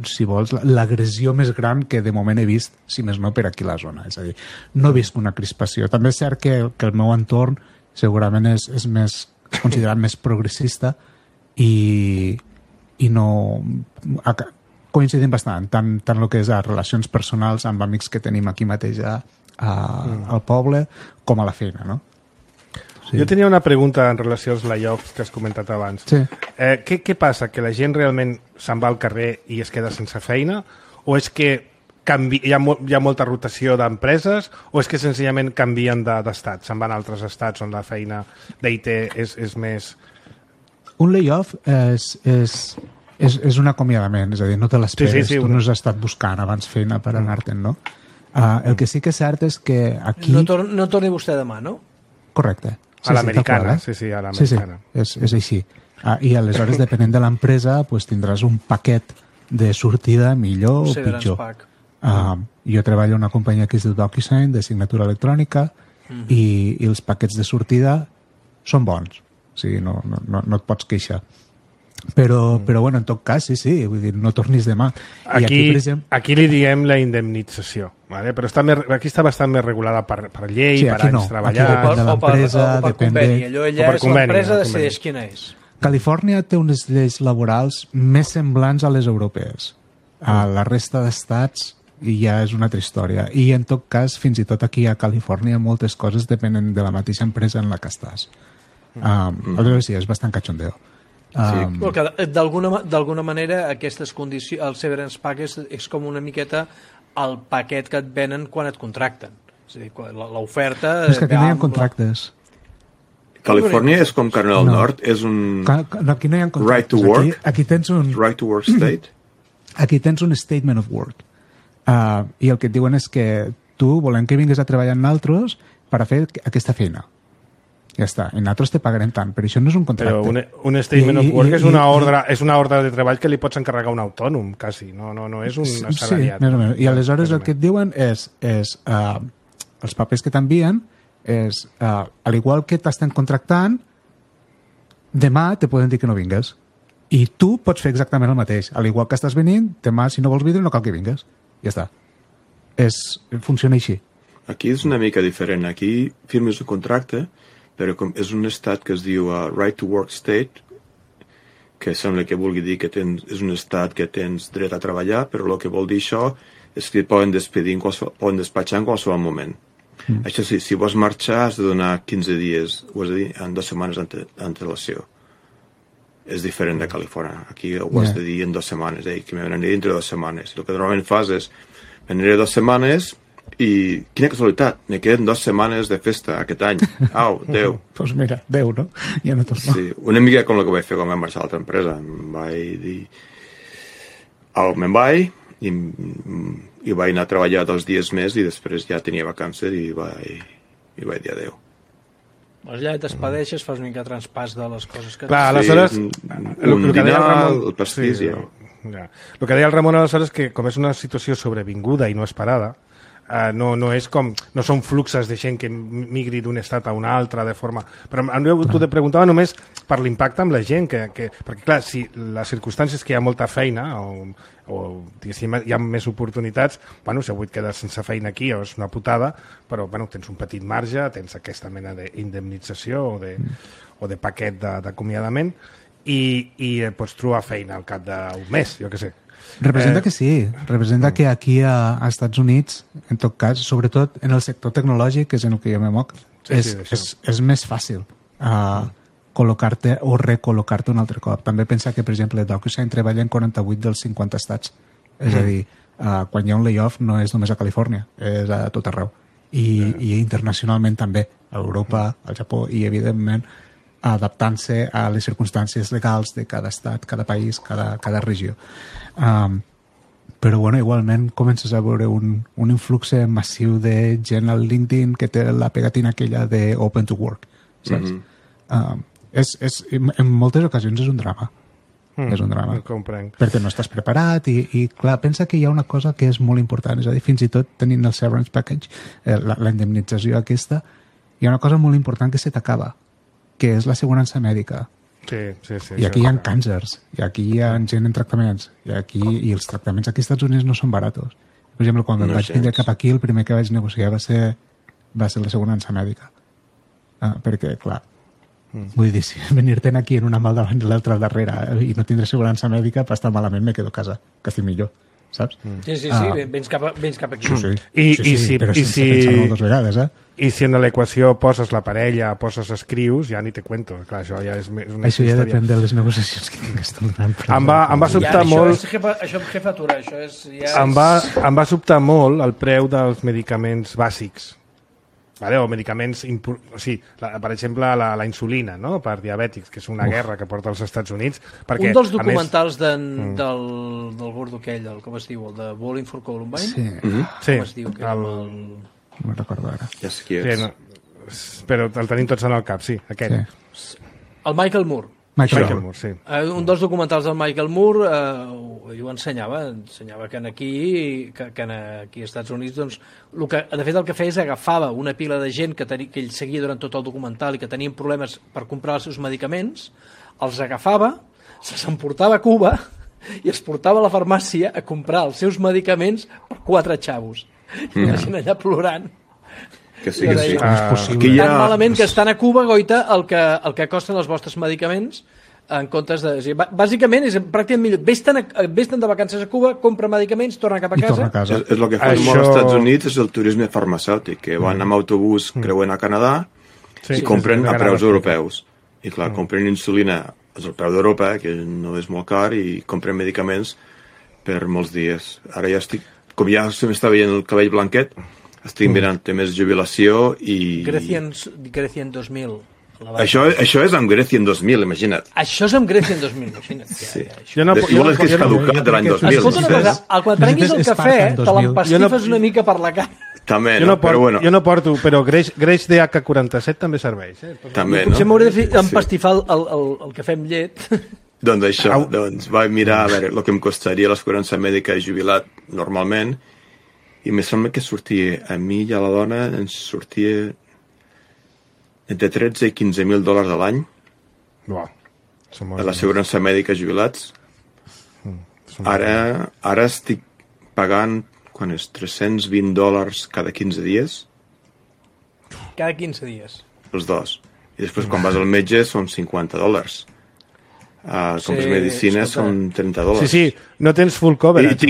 si vols, l'agressió més gran que de moment he vist, si més no per aquí a la zona. És a dir, no he vist una crispació. També és cert que el meu entorn segurament és considerat més progressista i no... Coincidim bastant, tant el que és a relacions personals amb amics que tenim aquí mateix al poble com a la feina, no? Sí. Jo tenia una pregunta en relació als layoffs que has comentat abans. Sí. Què passa? Que la gent realment se'n va al carrer i es queda sense feina? O és que hi ha molta rotació d'empreses? O és que senzillament canvien d'estat? Se'n van a altres estats on la feina d'IT és més... Un layoff és un acomiadament, és a dir, no te l'esperes, sí, tu no has estat buscant abans feina per anar-te'n, no? El que sí que és cert és que aquí... No torni vostè demà, no? Correcte. A l'americana, sí, a l'americana. Sí, és així. I aleshores, depenent de l'empresa, tindràs un paquet de sortida millor o pitjor. Jo treballo en una companyia que es diu DocuSign, de signatura electrònica, i els paquets de sortida són bons. O sigui, no et pots queixar. Però bueno, en tot cas, sí, vull dir, no tornis demà. Aquí li diem la indemnització, ¿vale? Però aquí està bastant més regulada per llei, per anys treballat... O per conveni. Allò ella és l'empresa, decideix quina és. Califòrnia té unes lleis laborals més semblants a les europees. A la resta d'estats ja és una altra història. I en tot cas, fins i tot aquí a Califòrnia, moltes coses depenen de la mateixa empresa en la que estàs. Aleshores sí, és bastant cachondeo. D'alguna manera aquestes condicions, el severance pack és com una miqueta el paquet que et venen quan et contracten, és a dir, l'oferta... És que aquí no hi ha contractes. Califòrnia és com Carolina del Nord, és un aquí no hi ha contractes. Right to work, aquí tens un right to work state. Aquí tens un statement of work, i el que et diuen és que tu volem que vinguis a treballar amb nosaltres per a fer aquesta feina. Ja està, i nosaltres te pagarem tant, però això no és un contracte. Però un statement of work és una ordre de treball que li pots encarregar a un autònom, quasi, no és un assalariat. Sí, més o menys. I aleshores el que et diuen és els papers que t'envien és, al igual que t'estan contractant, demà te poden dir que no vingues. I tu pots fer exactament el mateix. Al igual que estàs venint, demà, si no vols vindre, no cal que vingues. Ja està. Funciona així. Aquí és una mica diferent. Aquí firmes un contracte, però és un estat que es diu Right to Work State, que sembla que vulgui dir que és un estat que tens dret a treballar, però el que vol dir això és que et poden despatxar en qualsevol moment. Això sí, si vols marxar has de donar 15 dies, ho has de dir, en 2 setmanes d'antelació. És diferent de Califòrnia. Aquí ho has de dir en 2 setmanes, que m'agradaria dintre de 2 setmanes. El que normalment fas és, m'aniré 2 setmanes i quina casualitat, me queden 2 setmanes de festa aquest any. Au, Déu. Doncs mira, Déu, no? Ja no torno. Sí, una mica com el que vaig fer quan vaig marxar a l'altra empresa. Em vaig dir... me'n vaig i vaig anar a treballar 2 dies més i després ja tenia vacances i vaig dir adéu. Doncs ja t'espadeixes, fas una mica traspàs de les coses que... Clar, aleshores... Un dinar, el pastís, ja. El que deia el Ramon aleshores és que com és una situació sobrevinguda i no esperada, no és com... No són fluxes de gent que migri d'un estat a un altre de forma... Però tu te preguntava només per l'impacte amb la gent, perquè clar, si les circumstàncies que hi ha molta feina o hi ha més oportunitats, bueno, si avui et quedes sense feina aquí és una putada, però bueno, tens un petit marge, tens aquesta mena d'indemnització o de paquet d'acomiadament i pots trobar feina al cap d'un mes, jo què sé. Representa que sí, representa que aquí a Estats Units, en tot cas, sobretot en el sector tecnològic, que és en el que jo me moc, és més fàcil col·locar-te o recol·locar-te un altre cop. També pensa que, per exemple, DocuSign treballa en 48 dels 50 estats. És a dir, quan hi ha un layoff no és només a Califòrnia, és a tot arreu. I internacionalment també, a Europa, al Japó, i evidentment adaptant-se a les circumstàncies legals de cada estat, cada país, cada regió. Però bueno, igualment comences a veure un influx massiu de gent al LinkedIn que té la pegatina aquella de Open to Work, saps? En moltes ocasions és un drama. És un drama. Perquè no estàs preparat i clar, pensa que hi ha una cosa que és molt important, és a dir, fins i tot tenint el severance package, la indemnització aquesta, hi ha una cosa molt important que se t'acaba, que és l'assegurança mèdica. Sí, I aquí hi ha càncers, i aquí hi ha gent en tractaments, i els tractaments aquí als Estats Units no són baratos. Per exemple, quan em vaig vindre cap aquí, el primer que vaig negociar va ser l'assegurança mèdica. Perquè, clar, vull dir, si venir-te'n aquí en una mal davant i l'altra darrere i no tindre assegurança mèdica, per estar malament me quedo a casa, que estic millor. Saps? Sí, vens cap aquí. Sí, però sense pensar-ho dues vegades, I si en l'equació poses la parella, poses escrius, ja ni te cuento. Clar, això ja és una això ja depèn de les negociacions que tingues tu durant. Em va sobtar molt... Això és jefatura, això és... Em va sobtar molt el preu dels medicaments bàsics. Vale? O medicaments... per exemple, la insulina, no? Per diabètics, que és una guerra que porta als Estats Units. Perquè, un dels documentals del gordo aquell, com es diu, el de Bowling for Columbine? Sí. Com es diu? No me'n recordo ara. Ja sé qui és. Però el tenim tots en el cap, sí, aquell. Sí. El Michael Moore. Michael Moore, sí. Un dels documentals del Michael Moore ho ensenyava que aquí als Estats Units, doncs, de fet el que feia és agafava una pila de gent que ell seguia durant tot el documental i que tenien problemes per comprar els seus medicaments, els agafava, se'ls emportava a Cuba i els portava a la farmàcia a comprar els seus medicaments per 4 xavos. I la gent allà plorant. Que sí, que sí. Tan malament que estan a Cuba, goita, el que costen els vostres medicaments en comptes de... Bàsicament és pràcticament millor. Vés-te'n de vacances a Cuba, compra medicaments, torna cap a casa. És el que fan molt als Estats Units, és el turisme farmacèutic, que van amb autobús creuent a Canadà i compren a preus europeus. I clar, compren insulina al preu d'Europa, que no és molt car, i compren medicaments per molts dies. Ara ja estic... Com ja se m'està veient el cabell blanquet, estic mirant temes de jubilació i... Grecia en 2000. Això és amb Grecia en 2000, imagina't. Això és amb Grecia en 2000, imagina't. Sí. Igual és que és caducat de l'any 2000. Escolta una cosa, quan prenguis el cafè, te l'empastifes una mica per la cara. També, no? Però bueno. Jo no porto, però greix DH47 també serveix. També, no? Potser m'hauré d'empastifar el cafè amb llet. Doncs això, vaig mirar a veure el que em costaria l'assegurança mèdica jubilat normalment i me sembla que sortia, a mi i a la dona ens sortia entre 13 i 15.000 dòlars a l'any a l'assegurança mèdica jubilats. Ara estic pagant quan és $320 cada 15 dies. Cada 15 dies? Els dos. I després quan vas al metge són $50. Com les medicines són $30. Sí, no tens full coverage.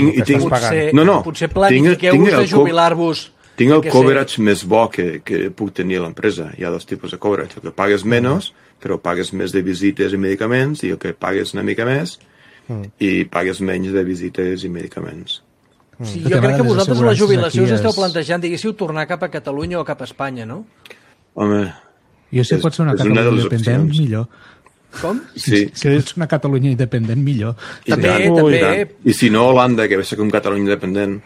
Potser planifiqueu-vos de jubilar-vos. Tinc el coverage més bo que puc tenir a l'empresa. Hi ha 2 tipus de coverage. El que pagues menys, però pagues més de visites i medicaments, i el que pagues una mica més i pagues menys de visites i medicaments. Sí, jo crec que vosaltres la jubilació us esteu plantejant, diguéssiu, tornar cap a Catalunya o cap a Espanya, no? Home... Jo si pot ser una Catalunya independent, millor. Com? Sí. Si ets una Catalunya independent, millor. També. I si no, Holanda, que va ser com Catalunya independent.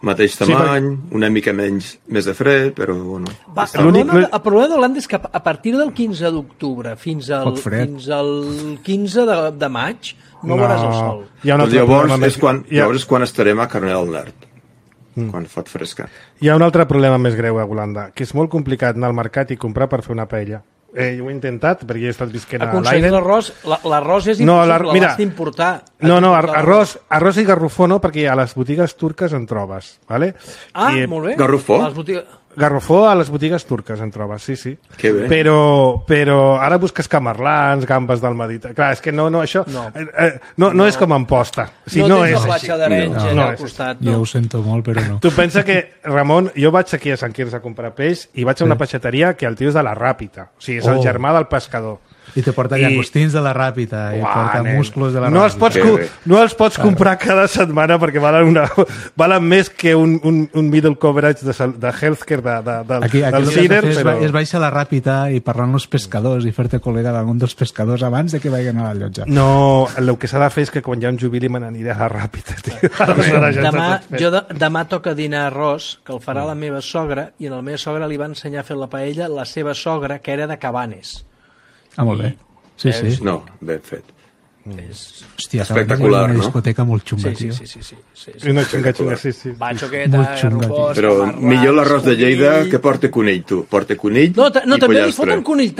Mateix tamany, una mica més de fred, però bueno. El problema d'Holanda és que a partir del 15 d'octubre fins al 15 de maig no veuràs el sol. Llavors és quan estarem a Carnet del Nord. quan fot fresca. Hi ha un altre problema més greu a Holanda, que és molt complicat anar al mercat i comprar per fer una paella. Jo ho he intentat, perquè he estat visquent a l'Aire. Aconseguir l'arròs és impossible, l'has d'importar. No, arròs i garrofó no, perquè a les botigues turques en trobes. Vale? Molt bé. Garrofó? Garrofó a les botigues turques en trobes, sí. Que bé. Però ara busques camarlans, gambes del Mediterrani. Clar, és que això no és com Amposta. No tens la platja d'Arenys allà al costat. Jo ho sento molt, però no. Tu pensa que, Ramon, jo vaig aquí a Sant Quirze a comprar peix i vaig a una peixateria que el tio és de la Ràpita. O sigui, és el germà del pescador. I te porta llagostins de la Ràpita, i porta musclos de la Ràpita. No els pots comprar cada setmana perquè valen més que un middle coverage de healthcare del Cider. Es baixa a la Ràpita i parlar amb els pescadors i fer-te col·lega d'algun dels pescadors abans de que vagin a la llotja. No, el que s'ha de fer és que quan hi ha un jubili me n'aniré a la Ràpita. Demà toca dinar arròs, que el farà la meva sogra, i a la meva sogra li va ensenyar a fer la paella la seva sogra, que era de Cabanes. Molt bé. Sí. No, ben fet. Hòstia, espectacular, una discoteca molt xunga, tio. Sí. Una xunga, sí. Baixoqueta, garrofós... Però millor l'arròs de Lleida que porta conill, tu. Porta conill i pollastre. No, també li foten conill,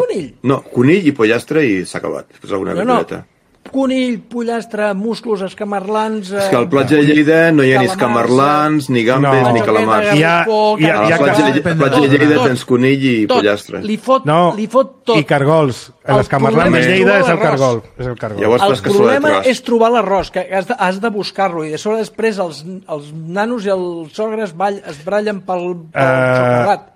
conill. No, conill i pollastre i s'ha acabat. Fes alguna verdureta. Conill, pollastre, musclos, escamarlans... És que al platja de Lleida no hi ha ni escamarlans, ni gambes, ni calamars. A la platja de Lleida tens conill i pollastre. Li fot tot. I cargols. L'escamarlans de Lleida és el cargol. El problema és trobar l'arròs, que has de buscar-lo, i de sobre després els nanos i els sogres es brallen pel xocolat.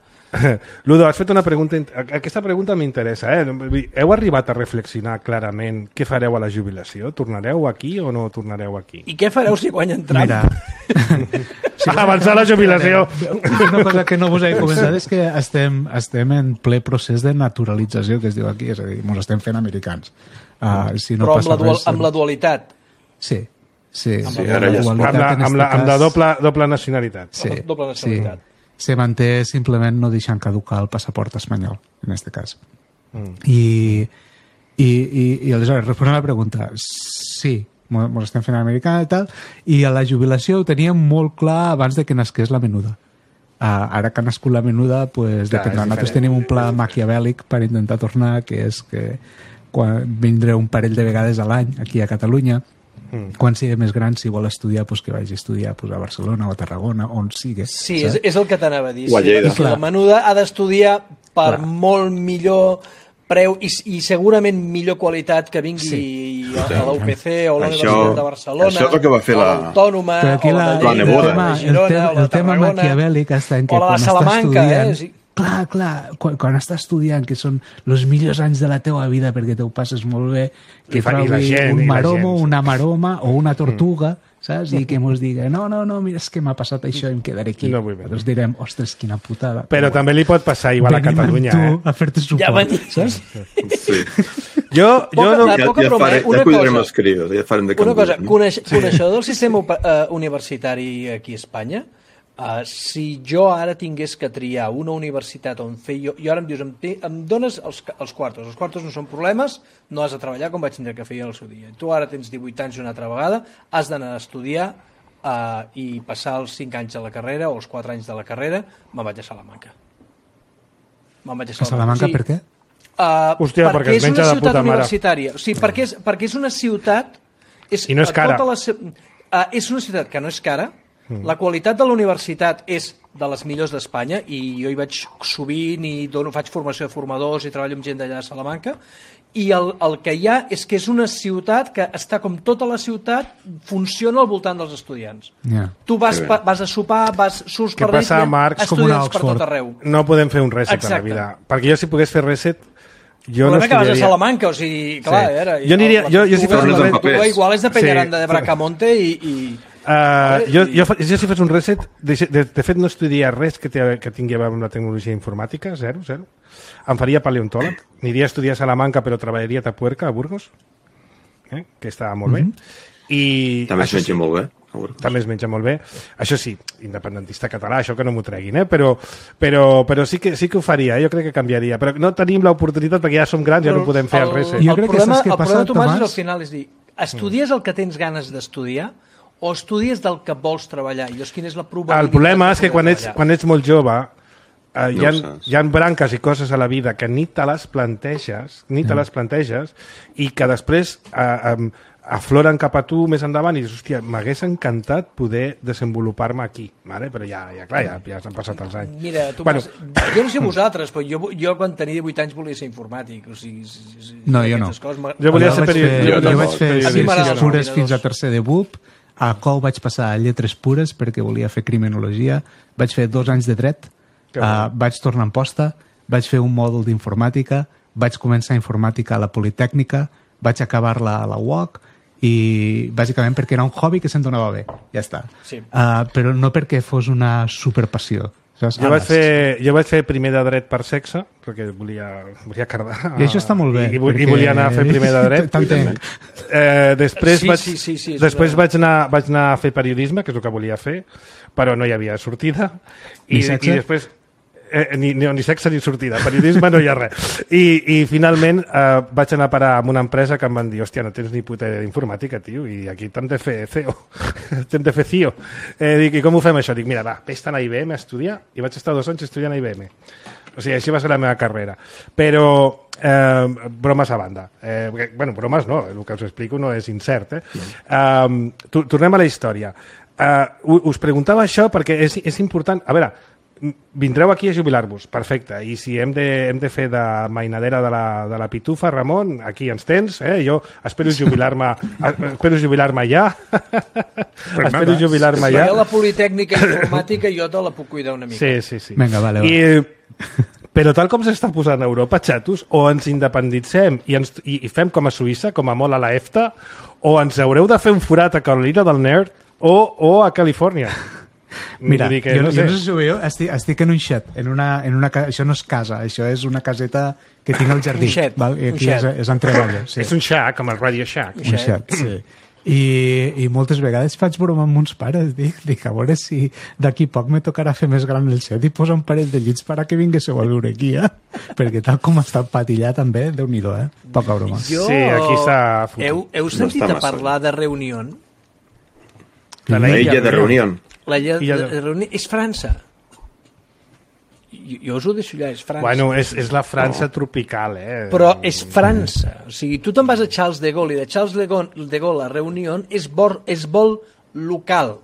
Ludo, has fet una pregunta... Aquesta pregunta m'interessa. Heu arribat a reflexionar clarament què fareu a la jubilació? Tornareu aquí o no tornareu aquí? I què fareu si guanyen Trump? Mira, avançar la jubilació. Una cosa que no us he comentat és que estem en ple procés de naturalització, que es diu aquí, és a dir, ens estem fent americans. Però amb la dualitat. Sí. Amb la doble nacionalitat. Doble nacionalitat. Se manté simplement no deixant caducar el passaport espanyol, en aquest cas. I aleshores, responent a la pregunta, sí, ens estem fent americana i tal, i a la jubilació ho teníem molt clar abans de que nasqués la Menuda. Ara que ha nascut la Menuda, pues, dependrà. Nosaltres tenim un pla maquiavèlic per intentar tornar, que és que vindré un parell de vegades a l'any aquí a Catalunya. Quan sigui més gran, si vol estudiar, pues que vagi a estudiar a Barcelona o a Tarragona, on sigui. Sí, és el que t'anava a dir. La Menuda ha d'estudiar per molt millor preu i segurament millor qualitat que vingui a la UPC o a la Universitat de Barcelona, això és el que va fer l'Autònoma, o la Neboda. El tema maquiavèlic està en que quan està estudiant... Clar, quan estàs estudiant, que són els millors anys de la teua vida perquè te ho passes molt bé, que trobi un maromo, una maroma o una tortuga, saps? I que mos diga, no, mira, és que m'ha passat això i em quedaré aquí. Nosaltres direm, ostres, quina putada. Però també li pot passar igual a Catalunya. Venim amb tu a fer-te suport, saps? Sí. Jo no... Ja cuidarem els crios, ja farem de canvi. Una cosa, coneixedor del sistema universitari aquí a Espanya, si jo ara tingués que triar una universitat on fer jo ara em dius, em dones els quartos no són problemes, no has de treballar com vaig tindre que fer al seu dia. Tu ara tens 18 anys una altra vegada, has d'anar a estudiar i passar els 5 anys de la carrera o els 4 anys de la carrera, me'n vaig a Salamanca. A Salamanca per què? Hòstia, perquè es menja de puta mare. Sí, perquè és una ciutat... I no és cara. És una ciutat que no és cara. La qualitat de la universitat és de les millors d'Espanya i jo hi vaig sovint i faig formació de formadors i treballo amb gent d'allà a Salamanca i el que hi ha és que és una ciutat que està com tota la ciutat, funciona al voltant dels estudiants. Tu vas a sopar, surts per l'illa, estudiants per tot arreu. No podem fer un reset a la vida. Perquè jo si pogués fer reset jo no estudiaria. Que vas a Salamanca, o sigui, clar, jo aniria... Igual és de Peñaranda de Bracamonte i... Jo si fes un reset, de fet no estudiaria res que tingui a veure amb la tecnologia informàtica, zero. Em faria paleontòleg, aniria a estudiar a Salamanca però treballaria a Tapuerca, a Burgos, que està molt bé. També es menja molt bé. També es menja molt bé. Això sí, independentista català, això que no m'ho treguin, però sí que ho faria, jo crec que canviaria. Però no tenim l'oportunitat perquè ja som grans, ja no podem fer el reset. El problema, Tomàs, és al final, és dir, estudies el que tens ganes d'estudiar o estudies del que vols treballar? I llavors, quina és la probabilitat? El problema és que quan ets molt jove hi ha branques i coses a la vida que ni te les planteges, i que després afloren cap a tu més endavant i dius, hòstia, m'hagués encantat poder desenvolupar-me aquí, vale? Però ja s'han passat els anys. Mira, jo no sé vosaltres, però jo quan tenia 18 anys volia ser informàtic. O sigui, no, jo no. Jo volia ser periodista. Jo vaig fer ciències pures fins a tercer de BUP, a COU vaig passar a lletres pures perquè volia fer criminologia, vaig fer 2 anys de dret, vaig tornar en posta, vaig fer un mòdul d'informàtica, vaig començar informàtica a la Politècnica, vaig acabar-la a la UOC, i bàsicament perquè era un hobby que se'm donava bé, ja està. Sí. Però no perquè fos una superpassió. Jo vaig fer primer de dret per sexe, perquè volia cardar. I això està molt bé. I volia anar a fer primer de dret. Després vaig anar a fer periodisme, que és el que volia fer, però no hi havia sortida. I després... Ni sexe ni sortida, periodisme no hi ha res. I finalment vaig anar a parar amb una empresa que em van dir, hòstia, no tens ni puta idea d'informàtica, tio, i aquí t'hem de fer CEO, t'hem de fer CIO. Dic, i com ho fem això? Dic, mira, va, vés-te'n a IBM a estudiar, i vaig estar 2 anys estudiant a IBM. O sigui, així va ser la meva carrera. Però, bromes a banda. Bueno, bromes no, el que us explico no és incert. Tornem a la història. Us preguntava això perquè és important... A veure, vindreu aquí a jubilar-vos, perfecte, i si hem de fer de mainadera de la pitufa, Ramon, aquí ens tens, jo espero jubilar-me ja. Espero jubilar-me ja. Si la Politècnica Informàtica jo te la puc cuidar una mica. Sí. Vinga, vale. Però tal com s'està posant a Europa, xatos, o ens independitzem i fem com a Suïssa, com a molt a la EFTA, o ens haureu de fer un forat a Carolina del Nord o a Califòrnia. Mira, jo no sé si ho veieu, estic en un xet, això no és casa, això és una caseta que tinc al jardí. Un xet. És en treballa. Sí. És un shack, com el Radio Shack. Un xet, sí. I moltes vegades faig broma amb uns pares, dic a veure si d'aquí poc me tocarà fer més gran el xet i posar un parell de llits per a que vinguéssiu a viure aquí, perquè tal com està patillat també, Déu-n'hi-do, poca broma. Sí, aquí s'ha fotut. Heu sentit a parlar de Reunió? La illa de Reunió. La illa de Reunió és França. Jo us ho deixo allà, és França. Bueno, és la França tropical, Però és França. O sigui, tu te'n vas a Charles de Gaulle i de Charles de Gaulle a Reunió és vol local.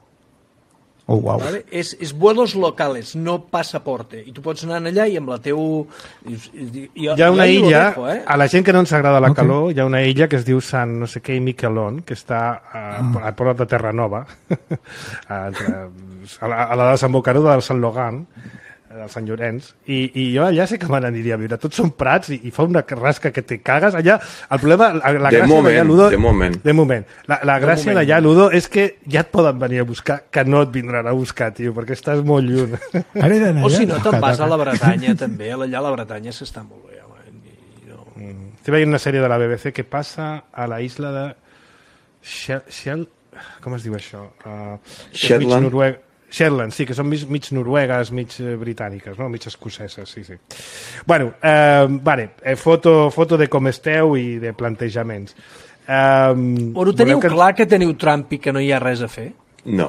Oh, wow. ¿Vale? És vuelos locales, no passaporte. I tu pots anar allà i amb la teu... Hi ha una illa, a la gent que no ens agrada la calor, hi ha una illa que es diu Sant no sé què i Miquelon, que està a prop de Terranova, a la desembocadura del Sant Logan, del Sant Llorenç, i jo allà sé que me n'aniria a viure. Tots són prats i fa una rasca que te cagues. Allà, el problema, la gràcia d'allà, Ludo... De moment. La gràcia d'allà, Ludo, és que ja et poden venir a buscar, que no et vindran a buscar, tio, perquè estàs molt lluny. O si no, te'n vas a la Bretanya, també. Allà a la Bretanya s'està molt bé. Estic veient una sèrie de la BBC que passa a la isla de... Com es diu això? Shetland, sí, que són mig noruegues, mig britàniques, no? Mig escoceses, sí. Bueno, foto de com esteu i de plantejaments. Ho teniu clar que teniu Trump i que no hi ha res a fer? No.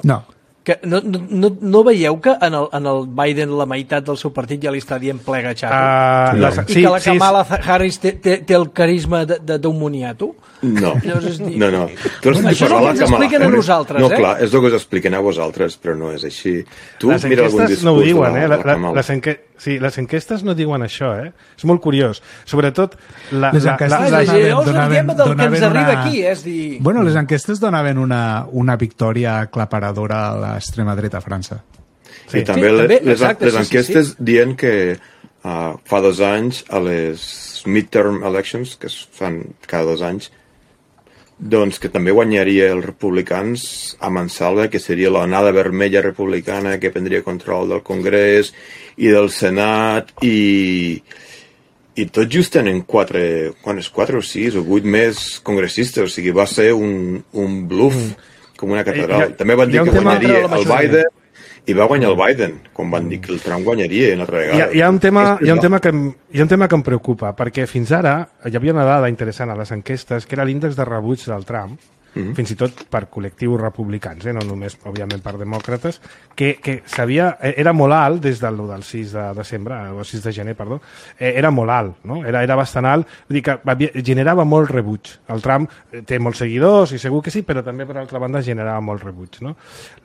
Que no veieu que en el Biden la meitat del seu partit ja li està dient plega xato? No. I que la Kamala Harris té el carisma d'un moniato? No. No. Tu això és el que ens expliquen a nosaltres, No, clar, és el que us expliquen a vosaltres, però no és així. Tu les mira algun enquestes no ho diuen, de la Kamala. les enquestes no diuen això, És molt curiós. Sobretot... Les enquestes donaven aquí, és dir... Bueno, les enquestes donaven una victòria aclaparadora a l'extrema dreta a França. Sí. I també les enquestes dient que fa 2 anys a les midterm elections, que es fan cada 2 anys, doncs que també guanyaria els republicans a mansalva, que seria l'onada vermella republicana que prendria control del Congrés i del Senat i tot just tenen 4 o 6 o 8 més congressistes, o sigui, va ser un bluff com una catedral. També van dir que guanyaria el Biden i va guanyar el Biden, quan van dir que el Trump guanyaria una altra vegada. Hi ha un tema que em preocupa, perquè fins ara hi havia una dada interessant a les enquestes, que era l'índex de rebuig del Trump, fins i tot per col·lectius republicans, no només, òbviament, per demòcrates, que era molt alt des del 6 de desembre, o 6 de gener, perdó, era molt alt, no? Era bastant alt, vull dir que generava molt rebuig. El Trump té molts seguidors, i segur que sí, però també, per altra banda, generava molt rebuig, no?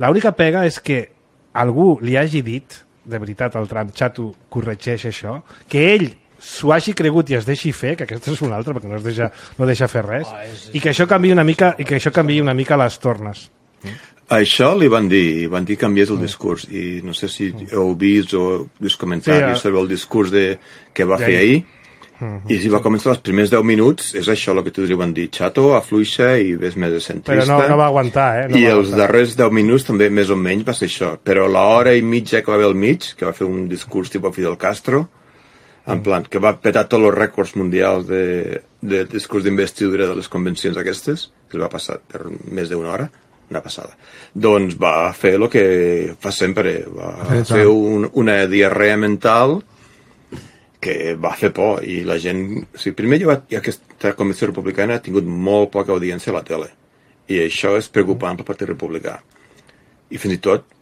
L'única pega és que algú li hagi dit, de veritat, al Trump, xato, corregeix això, que ell s'ho hagi cregut i es deixi fer, que aquesta és una altra, perquè no deixa fer res, i que això canviï una mica les tornes. Això li van dir que canviés el discurs, i no sé si heu vist o vist comentaris sobre el discurs que va fer ahir, i si va començar els primers 10 minuts, és això el que tu li van dir, xato, afluixa i ves més de centrista. Però no va aguantar, I els darrers 10 minuts també més o menys va ser això, però l'hora i mitja que va haver al mig, que va fer un discurs tipus Fidel Castro, en plan, que va petar tots els rècords mundials de discurs d'investidura de les convencions aquestes, que va passar per més d'una hora, una passada. Doncs va fer el que fa sempre, va fer una diarrea mental que va fer por, i la gent... O sigui, primer aquesta convenció republicana ha tingut molt poca audiència a la tele, i això és preocupant pel Partit Republicà. I fins i tot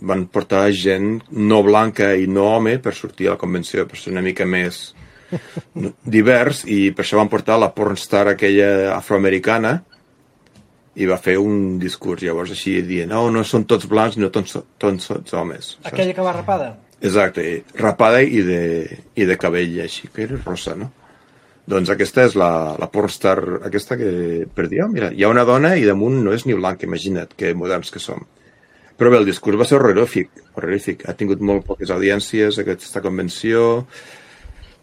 van portar gent no blanca i no home per sortir a la convenció, per ser una mica més divers, i per això van portar la pornstar aquella afroamericana i va fer un discurs llavors així dient, no són tots blancs, no tots homes. Aquella que va rapada? Exacte, rapada i de cabell així, que era rosa, no? Doncs aquesta és la pornstar aquesta que per dir, mira, hi ha una dona i damunt no és ni blanca, imagina't que moderns que som. Però bé, el discurs va ser horrorífic. Ha tingut molt poques audiències aquesta convenció,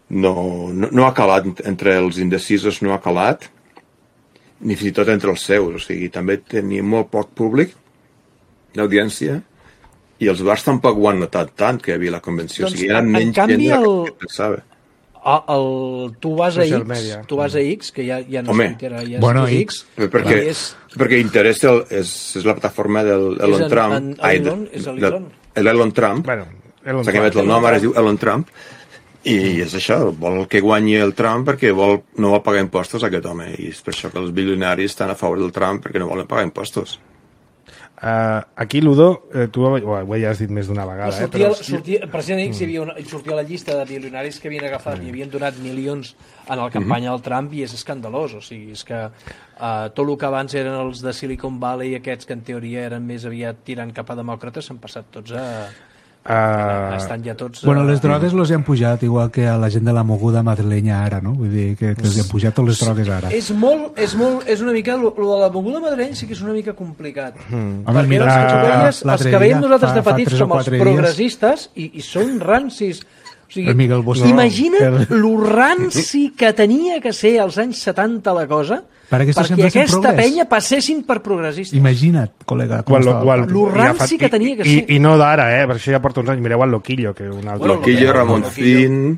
no ha calat entre els indecisos, no ha calat, ni fins i tot entre els seus, o sigui, també tenia molt poc públic d'audiència, i els bars tampoc ho han notat tant que hi havia la convenció, doncs, o sigui, eren menys gent de la que pensava. Tu vas a X, que ja no és Twitter, ja és bueno, X. Perquè Interès és la plataforma del Elon Trump. L'Elon Trump. S'ha canviat el nom, ara es diu Elon Trump. I és això, vol que guanyi el Trump perquè no vol pagar impostos a aquest home. I és per això que els bilionaris estan a favor del Trump, perquè no volen pagar impostos. Aquí, Ludo, tu ho ja has dit més d'una vegada. Precisament sortia la llista de milionaris que havien agafat i havien donat milions en la campanya del Trump, i és escandalós. O sigui, és que tot el que abans eren els de Silicon Valley, aquests que en teoria eren més aviat tirant cap a demòcrates, s'han passat tots estan ja tots... Bueno, les drogues los han pujat, igual que a la gent de la moguda madrilenya ara, no? Vull dir que els han pujat totes les drogues ara. És una mica... Lo de la moguda madrilenya sí que és una mica complicat. Home, perquè els que veiem nosaltres de petits som els progressistes i són rancis. O sigui, imagina't lo ranci que tenia que ser als anys 70 la cosa perquè aquesta penya passessin per progressistes. Imagina't, col·lega. Lo ranci que tenia que ser. I no d'ara, per això ja porta uns anys. Mireu el Loquillo, que un altre... Loquillo, Ramoncín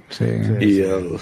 i el...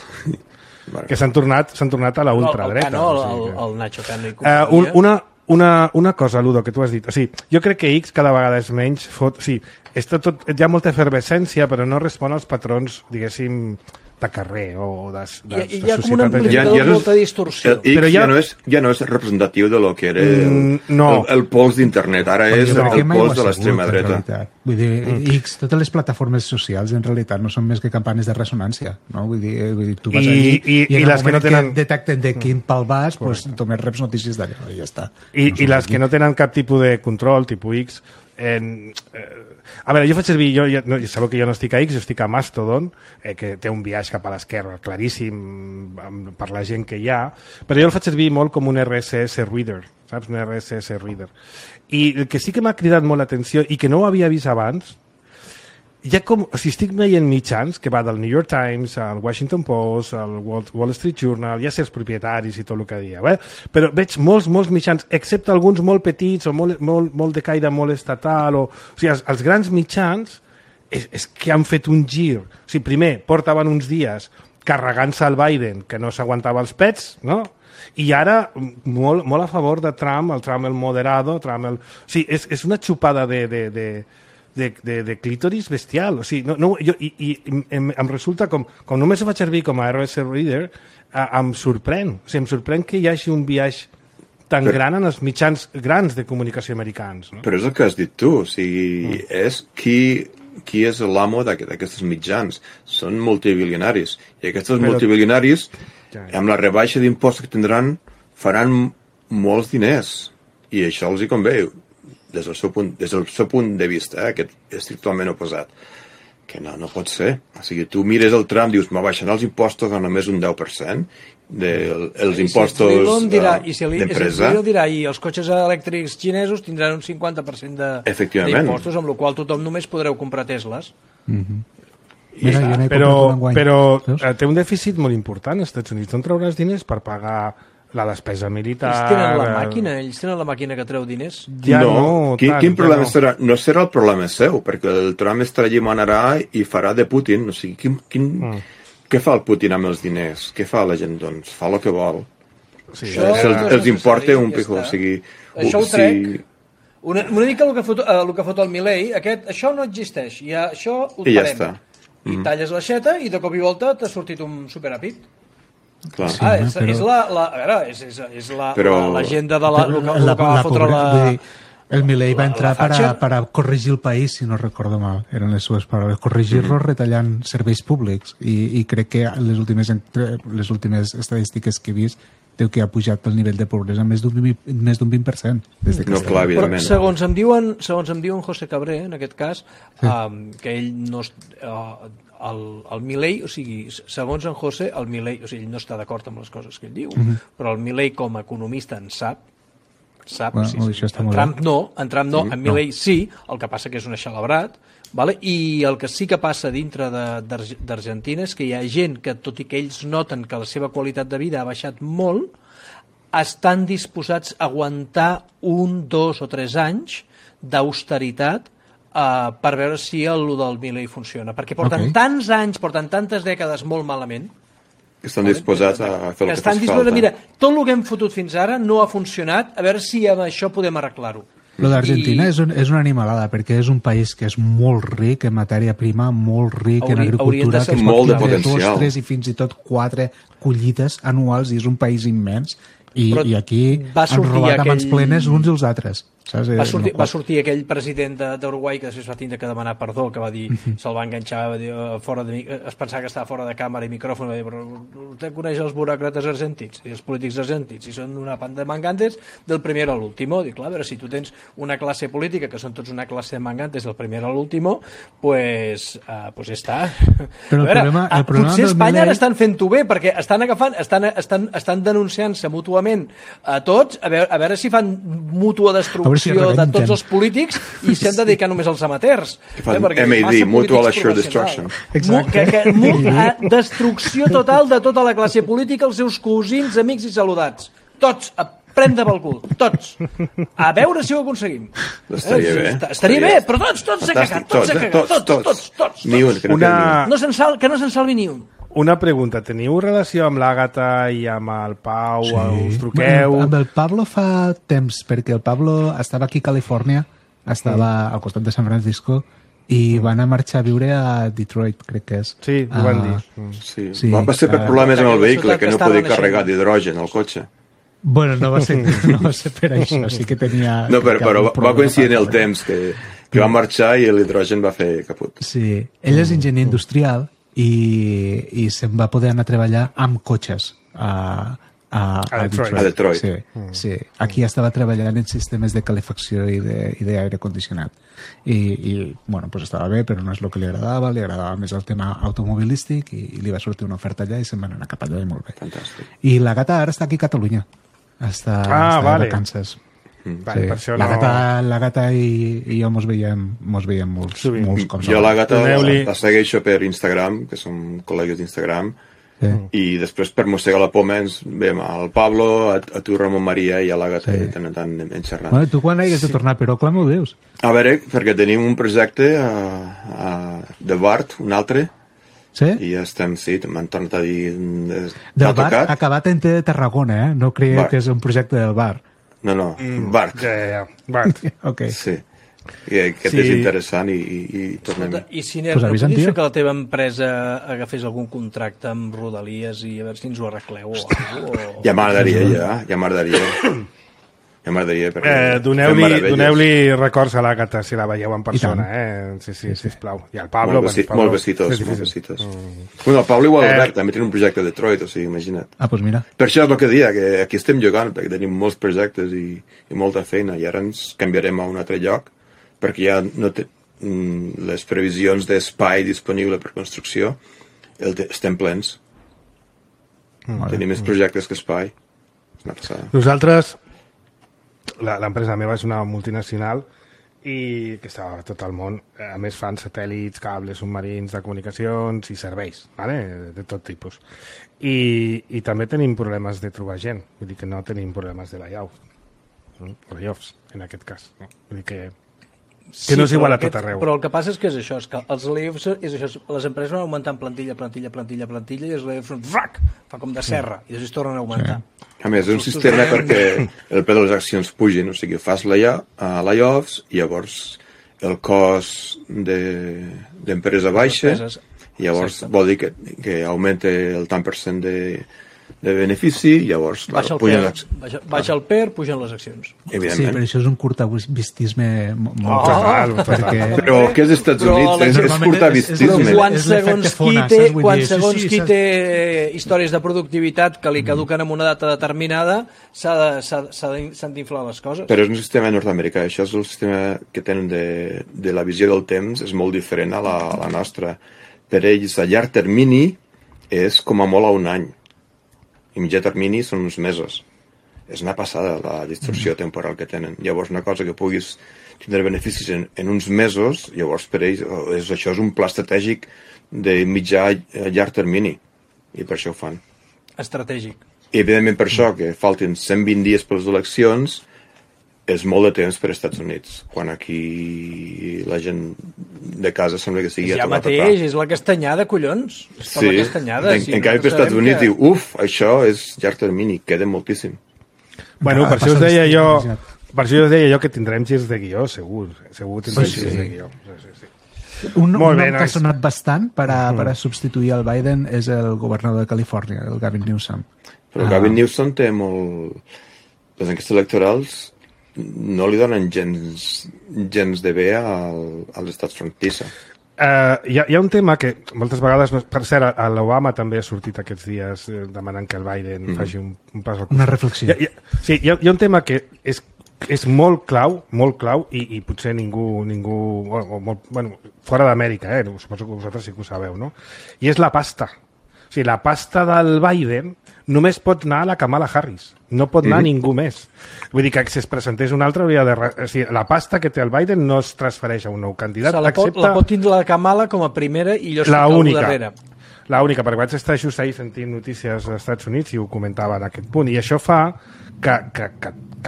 Que s'han tornat a la ultradreta. El Nacho Cano i companyia. Una cosa, Ludo, que tu has dit. O sigui, jo crec que X cada vegada és menys... O sigui, hi ha molta efervescència, però no respon als patrons, diguéssim, de carrer o de societat. Hi ha com una amplificació de molta distorsió. X ja no és representatiu de lo que era el pols d'internet. Ara és el pols de l'extrema dreta. Vull dir, X, totes les plataformes socials en realitat no són més que campanes de ressonància. No? Vull dir, tu vas allí i en el moment que detecten de quin pal vas, doncs només reps notícies d'allò i ja està. I les que no tenen cap tipus de control, tipus X... A veure, jo faig servir, sabeu que jo no estic a X, jo estic a Mastodon, que té un viatge cap a l'esquerra claríssim per la gent que hi ha, però jo el faig servir molt com un RSS reader, saps? Un RSS reader. I el que sí que m'ha cridat molt l'atenció i que no ho havia vist abans, ja com, si estic veient mitjans, que va del New York Times, al Washington Post, al Wall Street Journal, ja sé els propietaris i tot el que dia, però veig molts mitjans, excepte alguns molt petits o molt de caire molt estatal, o sigui, els grans mitjans és que han fet un gir. O sigui, primer, portaven uns dies carregant-se al Biden, que no s'aguantava els pets, no? I ara molt a favor de Trump, el Trump el moderado, Trump el... O sigui, és una xupada de clítoris bestial. O sigui, em resulta com només ho faig servir com a RSS Reader, em sorprèn. O sigui, em sorprèn que hi hagi un viatge tan gran en els mitjans grans de comunicació americans. No? Però és el que has dit tu, o sigui, és qui és l'amo d'aquests mitjans. Són multibilionaris. I aquests multibilionaris, amb la rebaixa d'impostos que tindran, faran molts diners. I això els hi convé, des del seu punt de vista, que és totalment oposat. Que no pot ser. O sigui, tu mires el Trump, dius, me baixaran els impostos a només un 10%, els impostos d'empresa. I si el dirà, i els cotxes elèctrics xinesos tindran un 50% d'impostos, amb la qual tothom només podreu comprar Tesles. Però té un dèficit molt important als Estats Units. On trauràs diners per pagar la despesa militar? Ells tenen la màquina que treu diners. Quin problema serà? No serà el problema seu, perquè el Trump estarà allí, manarà i farà de Putin. O sigui, què fa el Putin amb els diners? Què fa la gent? Doncs fa el que vol. Sí, els importa un pico. O sigui, això ho trec. Una mica el que fot el Milei, això no existeix. Això ho parem. I ja està. I talles l'aixeta i de cop i volta t'ha sortit un superàpid. Clar. És l'agenda de el que va fotre la... El Milei va entrar per a corregir el país, si no recordo mal, eren les seves paraules, corregir-lo retallant serveis públics, i crec que les últimes estadístiques que he vist diu que ha pujat el nivell de pobresa més d'un 20% des que clar, evidentment. Segons em diuen José Cabré, en aquest cas, que ell no... el Milei, o sigui, segons en José, el Milei, o sigui, ell no està d'acord amb les coses que ell diu, però el Milei com a economista en sap, en Trump no, en Milei sí, el que passa que és un eixelebrat, vale? I el que sí que passa dintre d'Argentina és que hi ha gent que, tot i que ells noten que la seva qualitat de vida ha baixat molt, estan disposats a aguantar 1, 2 o 3 anys d'austeritat per veure si el del Milei funciona, perquè porten tants anys, porten tantes dècades molt malament, estan disposats a fer el que fas falta. Mira, tot el que hem fotut fins ara no ha funcionat, a veure si amb això podem arreglar-ho. Lo d'Argentina és una animalada, perquè és un país que és molt ric en matèria prima, molt ric en agricultura, que es pot fer 2, 3 i fins i tot 4 collites anuals, i és un país immens, i aquí han robat a mans plenes uns i els altres. Va sortir aquell president d'Uruguai que després va tindre que demanar perdó, que va dir, se'l va enganxar, va dir, es pensava que estava fora de càmera i micròfon, va dir, però vostè coneix els buròcrates argentins i els polítics argentins, i són una panda de mangantes del primer a l'último. Dic, clar, a veure, si tu tens una classe política que són tots una classe de mangantes del primer a l'último, pues està. Però el problema potser Espanya ara estan fent-ho bé, perquè estan agafant, estan denunciant-se mútuament a tots, a veure si fan mútua destrucció de tots els polítics i s'han de dedicar només als amateurs. MAD, Mutual Assured Destruction. Destrucció total de tota la classe política, els seus cosins, amics i saludats. Tots, a prendre pel cul, tots. A veure si ho aconseguim. Estaria bé, però tots s'ha cagat, tots. Ni un, que no se'n salvi ni un. Una pregunta, teniu relació amb l'Àgata i amb el Pau? Us truqueu? Amb el Pablo fa temps, perquè el Pablo estava aquí a Califòrnia, estava al costat de San Francisco, i van a marxar a viure a Detroit, crec que és. Sí, ho van dir. Sí. Va ser per problemes amb el vehicle, que no podia carregar d'hidrogen al cotxe. Bueno, no va ser per això, sí que tenia... No, però va coincidir en el temps que va marxar i l'hidrogen va fer caput. Sí, ell és enginyer industrial, i se'n va poder anar a treballar amb cotxes a Detroit. Sí. Aquí estava treballant en sistemes de calefacció i d'aire condicionat. I bueno, pues estava bé, però no és el que li agradava més el tema automobilístic, i li va sortir una oferta allà i se'n van anar cap allà, i molt bé. Fantàstic. I la Gata ara està aquí a Catalunya. Està de vacances. Vale, per això la Gata i jo mos veiem molts cops. Jo la Gata la segueixo per Instagram, que som col·legues d'Instagram, i després per mossegar la poma ens veiem al Pablo, a tu Ramon Maria, i a la Gata de tant en tant en xerrant. Bueno, tu quan hagués de tornar, però com ho dius? A veure, perquè tenim un projecte de Bart, un altre, sí? I estem, m'han tornat a dir... Del Bart, acabat en T de Tarragona, no creia que és un projecte del Bart. No, Bart. Bart. Okay. Sí. I aquest és interessant i tornem. I Siner, no podies fer que la teva empresa agafés algun contracte amb Rodalies i a veure si ens ho arregleu o alguna cosa? Ja m'agradaria. Ja m'agradaria, perquè... Doneu-li records a l'Àgata, si la veieu en persona, Sí, sisplau. I al Pablo... Molt besitos. Bueno, el Pablo igual Albert també té un projecte a Detroit, o sigui, imagina't. Doncs mira. Per això és el que deia, que aquí estem jugant, perquè tenim molts projectes i molta feina, i ara ens canviarem a un altre lloc, perquè ja no té les previsions d'espai disponible per construcció, estem plens. Tenim més projectes que espai. És una passada. Nosaltres, l'empresa meva és una multinacional i que està a tot el món. A més fan satèl·lits, cables submarins de comunicacions i serveis, ¿vale? De tot tipus. I també tenim problemes de trobar gent. Vull dir que no tenim problemes de layoffs, en aquest cas. No? Vull dir que no és igual a tot arreu. Però el que passa és que és que els layoffs és això, les empreses van augmentant plantilla i els layoffs fa com de serra i després tornen a augmentar. A més, és un sistema perquè el preu de les accions pugin, o sigui, fas layoffs i llavors el cost d'empresa baixa i llavors vol dir que augmenta el tant per cent de benefici i llavors baixa el PER, pugen les accions. Sí, però això és un curtavistisme molt total. Però què és Estats Units? És curtavistisme. Quan segons qui té històries de productivitat que li caduquen en una data determinada s'han d'inflar les coses. Però és un sistema nord-americà, això és el sistema que tenen de la visió del temps, és molt diferent a la nostra. Per ells, a llarg termini és com a molt a un any. I mitjà termini són uns mesos. És una passada la distorsió temporal que tenen. Llavors, una cosa que puguis tindre beneficis en uns mesos, llavors per ells això és un pla estratègic de mitjà a llarg termini. I per això ho fan. Estratègic. I evidentment per això, que faltin 120 dies per les eleccions, és molt de temps per als Estats Units, quan aquí la gent de casa sembla que sigui ja mateix, és la castanyada, collons. Sí, en canvi per als Estats Units diu, això és llarg termini, queda moltíssim. Bueno, per això us deia jo que tindrem girs de guió, segur tindrem girs de guió. Un nom que ha sonat bastant per a substituir el Biden és el governador de Califòrnia, el Gavin Newsom. Però el Gavin Newsom té molt... Les enquestes electorals no li donen gens de bé als estats frontissa. Hi ha un tema que moltes vegades, per cert, l'Obama també ha sortit aquests dies demanant que el Biden faci un pas al costat. Una reflexió. Sí, hi ha un tema que és molt clau i potser ningú bueno, fora d'Amèrica, suposo que vosaltres sí que ho sabeu, no? I és la pasta. O sigui, la pasta del Biden només pot anar a la Kamala Harris. No pot anar ningú més. Vull dir que si es presentés un altre hauria de... O sigui, la pasta que té el Biden no es transfereix a un nou candidat. La pot tindre la Kamala com a primera i jo estic al darrere. L'única, perquè vaig estar just ahir sentint notícies als Estats Units i ho comentava en aquest punt. I això fa que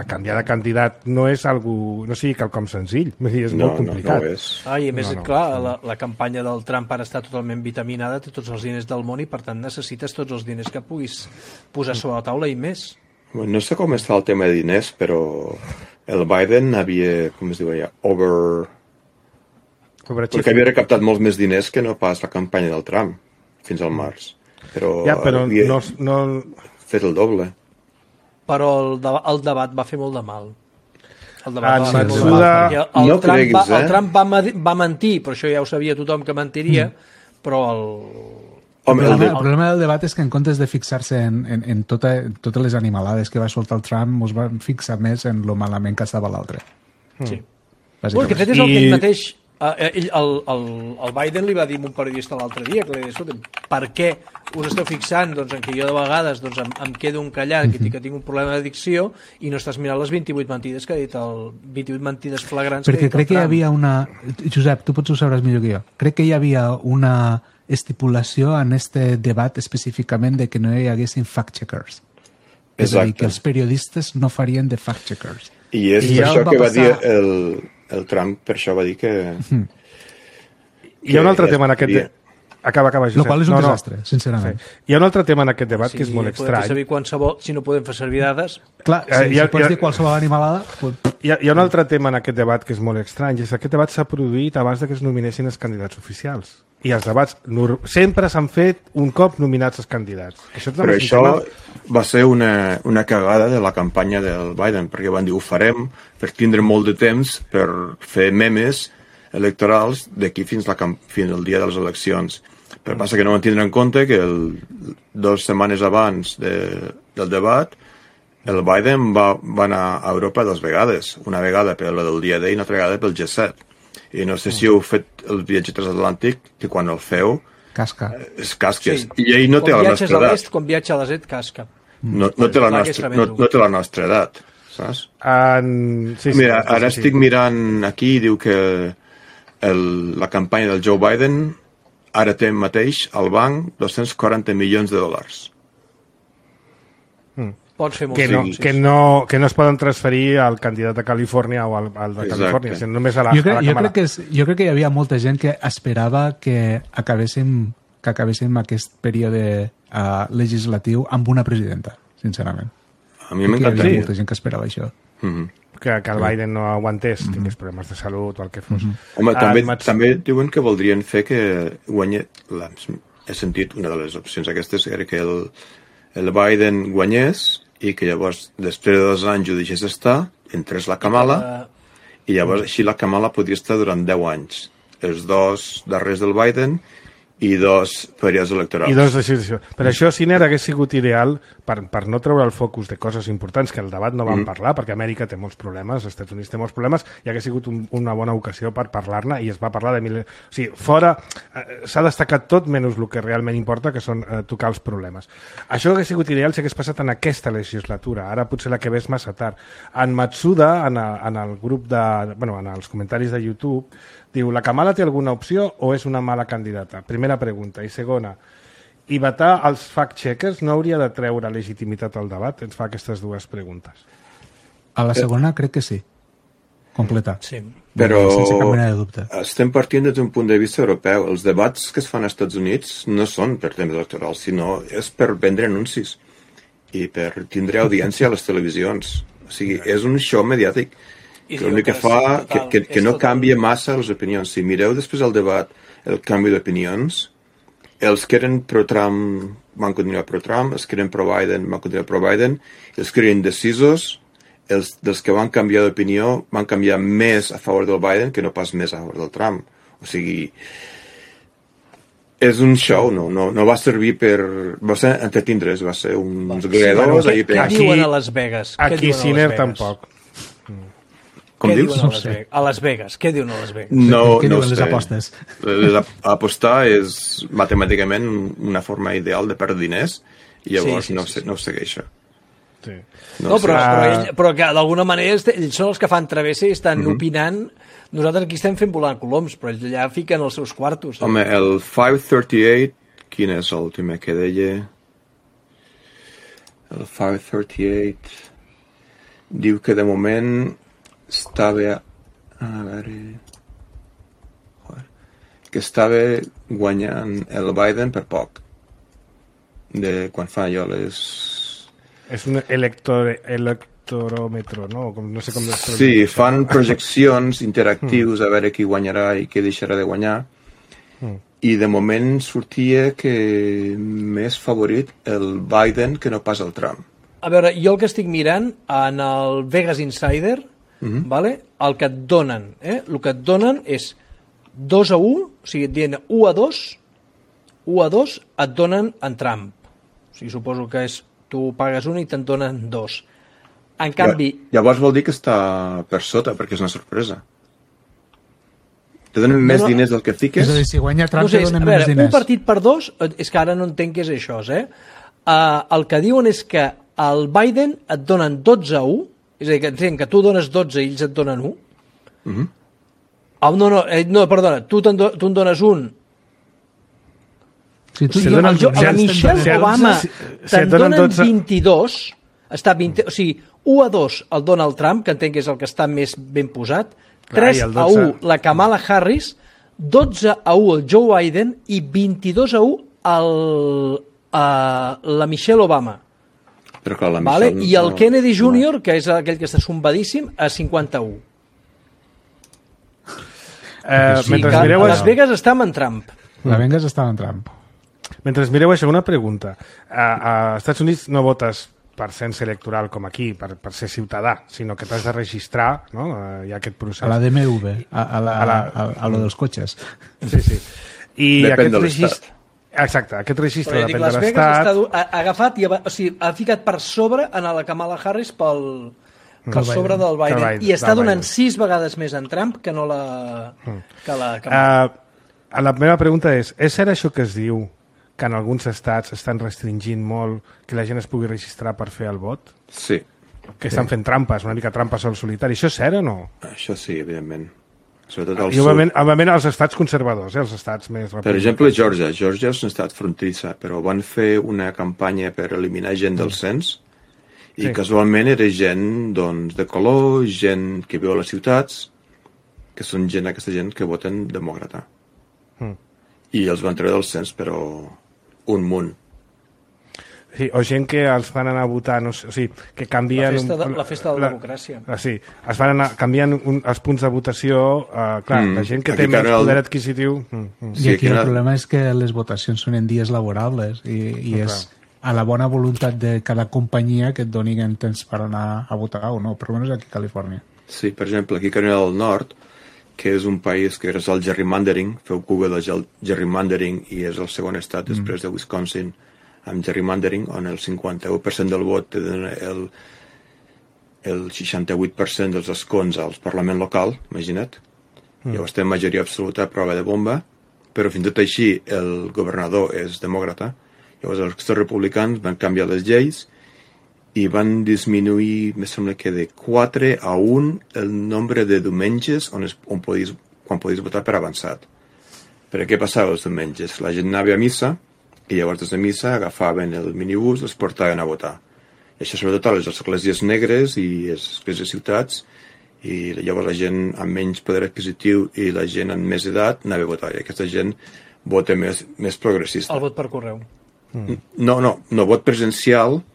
canviar de candidat no sigui quelcom senzill. És molt complicat. No és. I a més, clar, la campanya del Trump ara està totalment vitaminada, té tots els diners del món i, per tant, necessites tots els diners que puguis posar sobre la taula i més. No sé com està el tema de diners, però el Biden havia, com es diu allà, perquè havia recaptat molts més diners que no pas la campanya del Trump fins al març. Però no... fet el doble. Però el debat va fer molt de mal. El Trump va mentir, però això ja ho sabia tothom que mentiria, però el problema del debat és que en comptes de fixar-se en totes les animalades que va soltar el Trump, ens van fixar més en lo malament que estava l'altre. Sí. Bueno, que fet és el que ell mateix... El Biden li va dir a un periodista l'altre dia que li deia, per què us esteu fixant en què jo de vegades em quedo encallat, que tinc un problema d'addicció i no estàs mirant les 28 mentides que ha dit 28 mentides flagrants que ha dit el Trump. Perquè crec que hi havia una... Josep, tu potser ho sabràs millor que jo. Crec que hi havia una estipulació en este debat específicament de que no hi haguessin fact-checkers. És a dir, que els periodistes no farien de fact-checkers. I és per això que va dir el Trump, per això va dir que... Hi ha un altre tema en aquest... Acaba, Josep. Lo qual és un desastre, sincerament. Sí. Hi ha un altre tema en aquest debat que és molt estrany. Saber qualsevol, si no podem fer servir dades... Clar, si pots dir qualsevol animalada... Hi ha un altre tema en aquest debat que és molt estrany, és que aquest debat s'ha produït abans que es nominessin els candidats oficials. i els debats sempre s'han fet un cop nominats els candidats. Però això va ser una cagada de la campanya del Biden, perquè van dir ho farem per tindre molt de temps per fer memes electorals d'aquí fins al dia de les eleccions. Però passa que no van tindre en compte que 2 setmanes abans del debat el Biden va anar a Europa 2 vegades. Una vegada per la del dia D i una altra vegada pel G7. I no sé si heu fet el viatge transatlàntic, que quan el feu... Casca. És casques. Sí. I ell no té la nostra edat. Quan viatja a l'est, casca. No té la nostra edat, saps? Mira, ara estic mirant aquí i diu que la campanya del Joe Biden ara té mateix al banc $240 milions. Pots fer molt que no es poden transferir al candidat de Califòrnia o al de Califòrnia, sinó només a la Cámara. Jo crec que hi havia molta gent que esperava que acabéssim aquest període legislatiu amb una presidenta, sincerament. A mi m'encanta. Hi havia molta gent que esperava això. Que el Biden no aguantés, tingués problemes de salut o el que fos. Home, també diuen que voldrien fer que guanyés... He sentit una de les opcions aquestes, era que el Biden guanyés i que llavors, després de 2 anys ho deixés estar, entrés la Kamala i llavors així la Kamala podria estar durant 10 anys. Els 2 darrers del Biden i 2 períodes electorals. I 2 decisions. Per això, Siner, hagués sigut ideal per no treure el focus de coses importants que el debat no van parlar, perquè Amèrica té molts problemes, els Estats Units té molts problemes, i hagués sigut una bona ocasió per parlar-ne, i es va parlar de... O sigui, fora s'ha destacat tot menys el que realment importa, que són tocar els problemes. Això hagués sigut ideal si hagués passat en aquesta legislatura. Ara potser la que ve és massa tard. En Matsuda, en el grup de... Bueno, en els comentaris de YouTube, diu, la Kamala té alguna opció o és una mala candidata? Primera pregunta. I segona, i vetar els fact-checkers no hauria de treure legitimitat al debat? Ens fa aquestes 2 preguntes. A la segona crec que sí. Completa. Sí. Però sense cap mena de dubte. Estem partint des d'un punt de vista europeu. Els debats que es fan als Estats Units no són per temes electorals, sinó és per vendre anuncis i per tindre audiència a les televisions. O sigui, és un show mediàtic. L'únic que fa que no canvia massa les opinions. Si mireu després del debat el canvi d'opinions, els que eren pro-Trump van continuar pro-Trump, els que eren pro-Biden van continuar pro-Biden, els que eren indecisos, dels que van canviar d'opinió van canviar més a favor del Biden que no pas més a favor del Trump. O sigui, és un show, no va servir per... Va ser entretindre's, va ser uns gregadors... Què diuen a Las Vegas? Aquí Siner tampoc. Com dius? A Las Vegas. Què diuen a Las Vegas? Què diuen les apostes? Apostar és matemàticament una forma ideal de perdre diners i llavors no ho segueixo. Sí. Però que d'alguna manera ells són els que fan travessa i estan opinant. Nosaltres aquí estem fent volant coloms, però ells allà fiquen els seus quartos. Home, el 538, quin és l'últim que deia? El 538 diu que de moment estava guanyant el Biden per poc de quan fa allò les... És un electoròmetre, no? No sé com sí, fan projeccions interactius a veure qui guanyarà i qui deixarà de guanyar i de moment sortia que més favorit el Biden que no pas el Trump. A veure, jo el que estic mirant en el Vegas Insider, vale? El que et donen, el que et donen és 2-1, o sigui, et diuen 1-2, et donen en Trump. O sigui, suposo que és, tu pagues 1 i te'n donen 2. En canvi... Llavors vol dir que està per sota, perquè és una sorpresa. Te donen més diners del que fiques? És a dir, si guanya Trump, te donen més diners. Un partit per 2, és que ara no entenc què és això, el que diuen és que al Biden et donen 12-1, és a dir, que entenc que tu dones 12 i ells et donen 1. No, perdona, tu en dones 1. La Michelle Obama te'n donen 22, està 20, o sigui, 1-2 el Donald Trump, que entenc que és el que està més ben posat, 3-1 la Kamala Harris, 12-1 el Joe Biden i 22-1 la Michelle Obama. Però clar, la Michelle, i el Kennedy Jr., que és aquell que està zumbadíssim, a 51. Mentre mireu... Las Vegas està amb en Trump. La vengues estava en Trump. Mentre mireu això, una pregunta. A Estats Units no votes per cens electoral com aquí, per ser ciutadà, sinó que t'has de registrar, no? Hi ha aquest procés. A la DMV, a lo dels cotxes. Sí. I depèn de l'estat. Exacte, aquest registre depèn de Las l'estat. Vegas ha agafat i ha ficat per sobre a la Kamala Harris per sobre del Biden. I està donant 6 vegades més en Trump que no que la Kamala. La meva pregunta és cert això que es diu que en alguns estats estan restringint molt que la gent es pugui registrar per fer el vot? Sí. Que estan fent trampes, una mica trampes al solitari. Això és cert o no? Això sí, evidentment. Sobretot al I òbviament els estats conservadors, els estats més republicans. Per exemple, Georgia és un estat fronterissa, però van fer una campanya per eliminar gent del cens i casualment era gent doncs, de color, gent que viu a les ciutats, que són aquesta gent que voten demòcrata. I els van treure del cens, però un munt. Sí, o gent que els fan anar a votar, no sé, o sigui, que canvien... La festa de la democràcia. Sí, es van anar canviant els punts de votació, clar, la gent que té més poder adquisitiu... I aquí el problema és que les votacions són en dies laborables i és a la bona voluntat de cada companyia que et doni temps per anar a votar o no, per almenys aquí a Califòrnia. Sí, per exemple, aquí a Carolina del Nord, que és un país que és el gerrymandering, feu Google de gerrymandering i és el segon estat després de Wisconsin amb gerrymandering, on el 51% del vot té el 68% dels escons al Parlament local, imagina't. Llavors té majoria absoluta a prova de bomba, però fins i tot així el governador és demòcrata. Llavors els republicans van canviar les lleis i van disminuir, me sembla que de 4 a 1 el nombre de diumenges quan podies votar per avançat. Per què passava els diumenges? La gent anava a missa i llavors des de missa agafaven el minibús i els portaven a votar. I això sobretot a les esglésies negres i les esglésies ciutats, i llavors la gent amb menys poder adquisitiu i la gent amb més edat anava a votar. I aquesta gent vota més progressista. El vot per correu. No vot presencial,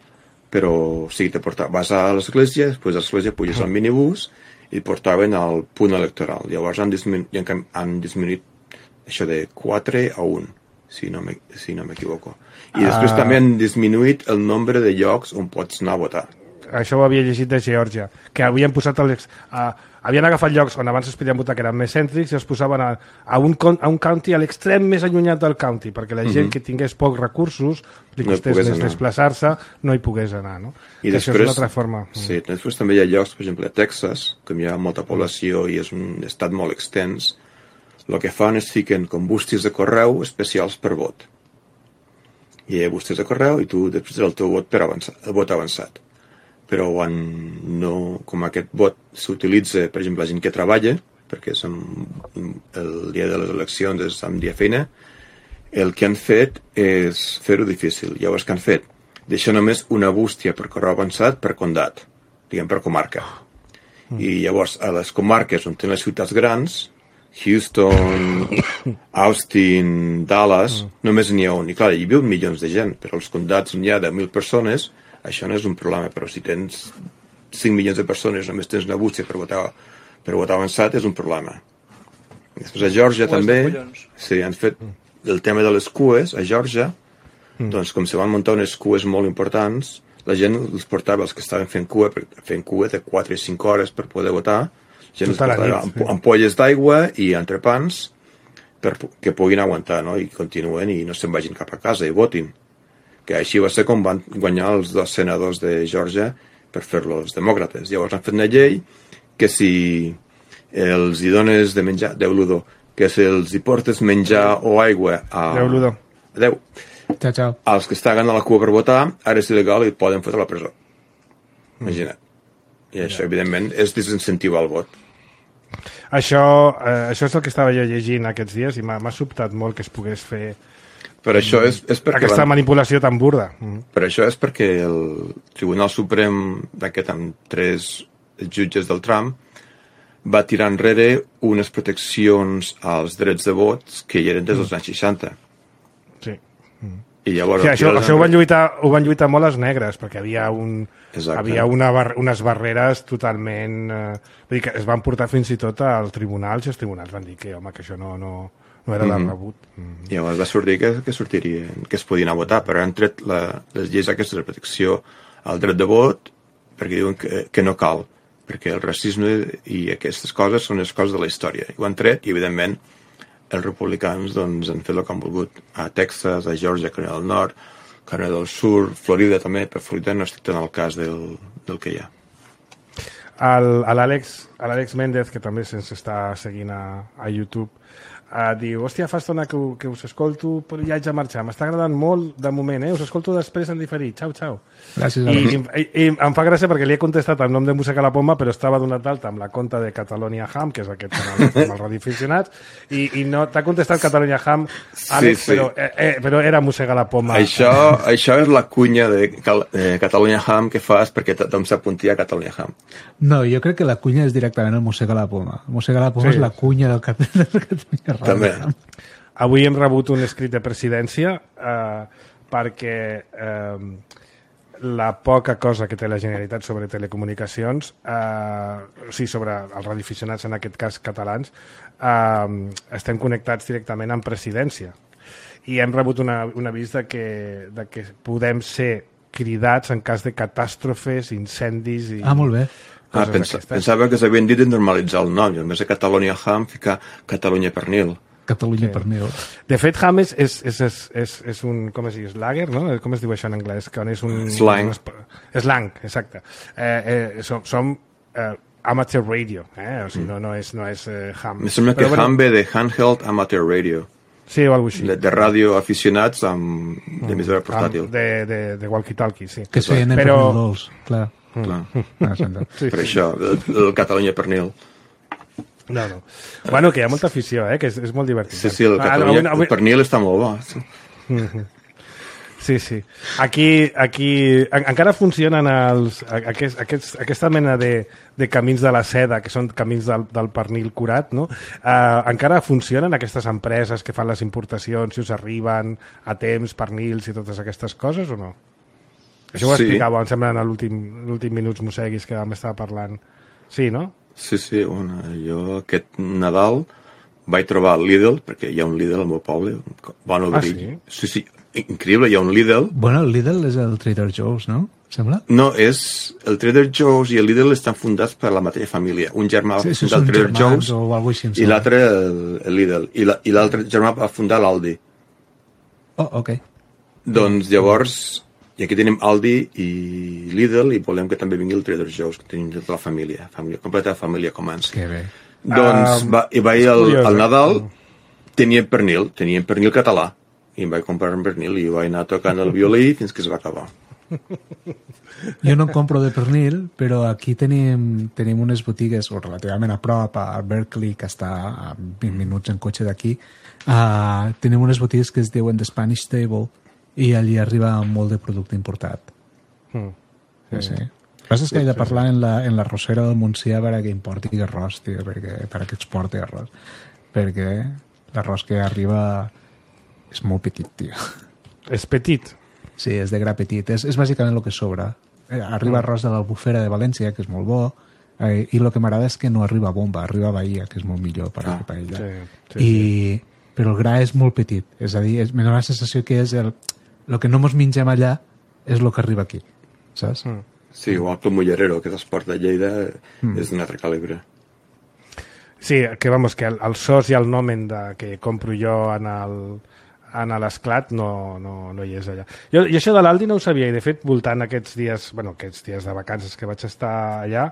però sí, vas a l'església, després de l'església puges al minibús i et portaven al punt electoral. Llavors han disminuït això de 4 a 1, si no m'equivoco. I després també han disminuït el nombre de llocs on pots anar a votar. Això ho havia llegit de Geòrgia, que havien posat havien agafat llocs on abans es podien votar que eren més cèntrics i els posaven a un county a l'extrem més allunyat del county, perquè la gent que tingués pocs recursos, li costés més desplaçar-se, no hi pogués anar, no? I després, això és una altra forma. Sí, després també hi ha llocs, per exemple, a Texas, com hi ha molta població i és un estat molt extens, el que fan és fiquen com bústies de correu especials per vot. I hi ha bústies de correu i tu després el teu vot el vot avançat. Però com aquest vot s'utilitza, per exemple, la gent que treballa, perquè el dia de les eleccions és un dia feina, el que han fet és fer-ho difícil. Llavors, què han fet? Deixar només una bústia per correu avançat per condat, diguem per comarca. I llavors, a les comarques on tenen les ciutats grans, Houston, Austin, Dallas, només n'hi ha un. I clar, hi viuen milions de gent, però els condats on hi ha de 1.000 persones, això no és un problema, però si tens 5 milions de persones, només tens una bústia per votar avançat, és un problema. Després a Geòrgia també, sí, han fet el tema de les cues, a Geòrgia, doncs com se van muntar unes cues molt importants, la gent els portava, els que estaven fent cua de 4 i 5 hores per poder votar, la gent els portava ampolles d'aigua i entrepans que puguin aguantar, no? I continuen i no se'n vagin cap a casa i votin. Que així va ser com van guanyar els 2 senadors de Geòrgia per fer-lo els demòcrates. Llavors han fet una llei que si els hi dones de menjar, Déu-l'udó, que si els hi portes menjar o aigua a... Déu-l'udó. Adéu. Ciao. Els que estan a la cua per votar, ara és il·legal i et poden fotre a la presó. Imagina't. I això, evidentment, és desincentivar el vot. Això és el que estava jo llegint aquests dies i m'ha sobtat molt que es pogués fer... Per això és perquè aquesta manipulació tan burda. Per això és perquè el Tribunal Suprem d'aquest amb 3 jutges del Trump va tirar enrere unes proteccions als drets de vots que hi eren des dels anys 60. Sí. I llavors... Sí, això ho van lluitar molt els negres, perquè havia unes barreres totalment... vull dir que es van portar fins i tot als tribunals i els tribunals van dir que, home, que això no no era de rebut. I llavors va sortir que sortirien, que es podien a votar, però han tret les lleis aquestes de protecció al dret de vot perquè diuen que no cal, perquè el racisme i aquestes coses són les coses de la història. I ho han tret i, evidentment, els republicans doncs, han fet el que han volgut. A Texas, a Georgia, Carolina del Nord, Carolina del Sur, Florida també, però Florida no estic tan al cas del que hi ha. L'Àlex Méndez, que també se'ns està seguint a YouTube, diu, hòstia, fa estona que us escolto, però ja haig de marxar. M'està agradant molt de moment, us escolto després en diferit. Xau. Gràcies, I em fa gràcia perquè li he contestat el nom de Música a la Poma, però estava donat d'alta amb la conta de Catalonia Ham, que és aquest canal amb els radioaficionats, i no t'ha contestat Catalonia Ham, Àlex, sí. Però era Música a la Poma. Això és la cunya de Catalonia Ham que fas perquè tothom s'apuntia a Catalonia Ham. No, jo crec que la cunya és directament el Música a la Poma. Música a la Poma és la cunya del Catalonia Ham. També. Avui hem rebut un escrit de presidència perquè la poca cosa que té la Generalitat sobre telecomunicacions, sobre els radioaficionats, en aquest cas catalans, estem connectats directament amb presidència. I hem rebut un avís de que podem ser cridats en cas de catàstrofes, incendis... molt bé. Pensava que s'havien dit de normalitzar el nom, i a més de Catalonia Ham ficar Catalunya Pernil. Catalunya Pernil. De fet, Ham és un, com es diu, slager, no? Com es diu això en anglès? És un... Slang. Slang, exacte. Som amateur radio, o sigui, no és Ham. Em sembla que Ham ve de Handheld Amateur Radio. Sí, o alguna cosa així. De ràdio aficionats amb emissora portàtil. De walkie-talkie, sí. Que es feien en pernil dolç, clar. Sí. Per això, el Catalunya Pernil. No. Bueno, que hi ha molta afició, que és molt divertit. Sí, el pernil està molt bo. Sí. Aquí encara funcionen aquesta mena de camins de la seda, que són camins del pernil curat, no? Encara funcionen aquestes empreses que fan les importacions, si us arriben a temps, pernils i totes aquestes coses, o no? Això ho explicava, em sembla, en l'últim Minuts Mosseguis que vam estar parlant. Sí, no? Sí, bueno, jo aquest Nadal vaig trobar el Lidl, perquè hi ha un Lidl al meu poble, bon obrir. Sí, increïble, hi ha un Lidl. Bueno, el Lidl és el Trader Joe's, no? Sembla? No, el Trader Joe's i el Lidl estan fundats per la mateixa família. Un germà va fundar el Trader Joe's i l'altre el Lidl. I l'altre germà va fundar l'Aldi. Oh, ok. Doncs llavors... I aquí tenim Aldi i Lidl i volem que també vingui el Trader Joe's, que tenim tota la família completa família Comans. Que bé. Doncs vaig al Nadal, tenien pernil català, i em vaig comprar un pernil i vaig anar tocant el violí fins que es va acabar. Jo no compro de pernil, però aquí tenim unes botigues relativament a prop, a Berkeley, que està a 20 minuts en cotxe d'aquí. Tenim unes botigues que es diuen The Spanish Table, i allí arriba molt de producte importat. Sí. El que passa és que he de parlar en la arrossera del Montsià per a que importi arròs, tio, per a que exporti arròs. Perquè l'arròs que arriba és molt petit, tio. És petit? Sí, és de gra petit. És bàsicament el que sobra. Arriba arròs de l'Albufera de València, que és molt bo, i el que m'agrada és que no arriba a Bomba, arriba a Bahia, que és molt millor per a la paella. Però el gra és molt petit. És a dir, me dóna la sensació que és el que no mos mengem allà és el que arriba aquí, saps? Sí, igual que el mullerero que s'exporta a Lleida és d'un altre calibre. Sí, que el sos i el nomen que compro jo en l'esclat no hi és allà. Jo això de l'Aldi no ho sabia, i de fet, voltant aquests dies de vacances que vaig estar allà,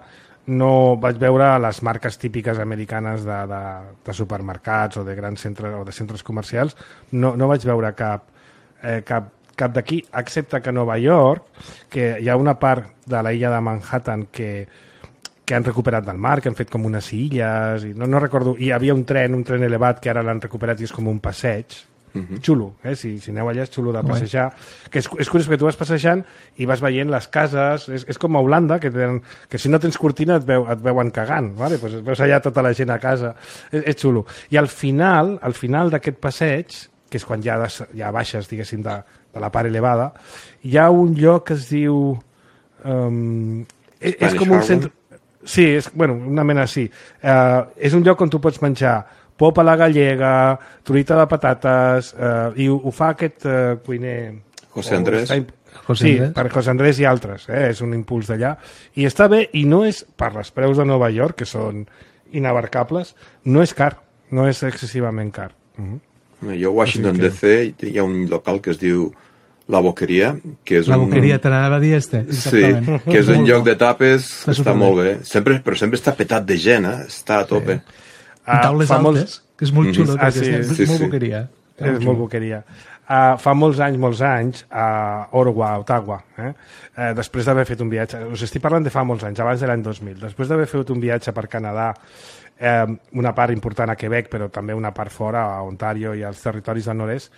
no vaig veure les marques típiques americanes de supermercats o de grans centres o de centres comercials, no vaig veure cap d'aquí, excepte que a Nova York, que hi ha una part de la illa de Manhattan que han recuperat del mar, que han fet com unes illes, i no recordo, hi havia un tren elevat que ara l'han recuperat i és com un passeig, xulo, si aneu allà és xulo de passejar, que és curiós perquè tu vas passejant i vas veient les cases, és com a Holanda, que si no tens cortina et veuen cagant, vale? Pues veus allà tota la gent a casa, és xulo. I al final d'aquest passeig, que és quan ja baixes, diguéssim, de la part elevada, hi ha un lloc que es diu... és com un centre... Sí, una mena així. És un lloc on tu pots menjar pop a la gallega, truita de patates, i ho fa aquest cuiner... José Andrés. Sí, per José Andrés i altres, és un impuls d'allà. I està bé, i no és, per les preus de Nova York, que són inabarcables, no és car, no és excessivament car. Jo a Washington DC hi ha un local que es diu La Boqueria, que és La Boqueria, te l'anava a dir Sí, que és un lloc de tapes que està molt bé, però sempre està petat de gent, està a tope. Taules altes, que és molt xulo, és molt boqueria. És molt boqueria. Fa molts anys, a Ottawa, després d'haver fet un viatge, us estic parlant de fa molts anys, abans de l'any 2000, després d'haver fet un viatge per Canadà, una part important a Quebec, però també una part fora, a Ontario i als territoris del nord-est,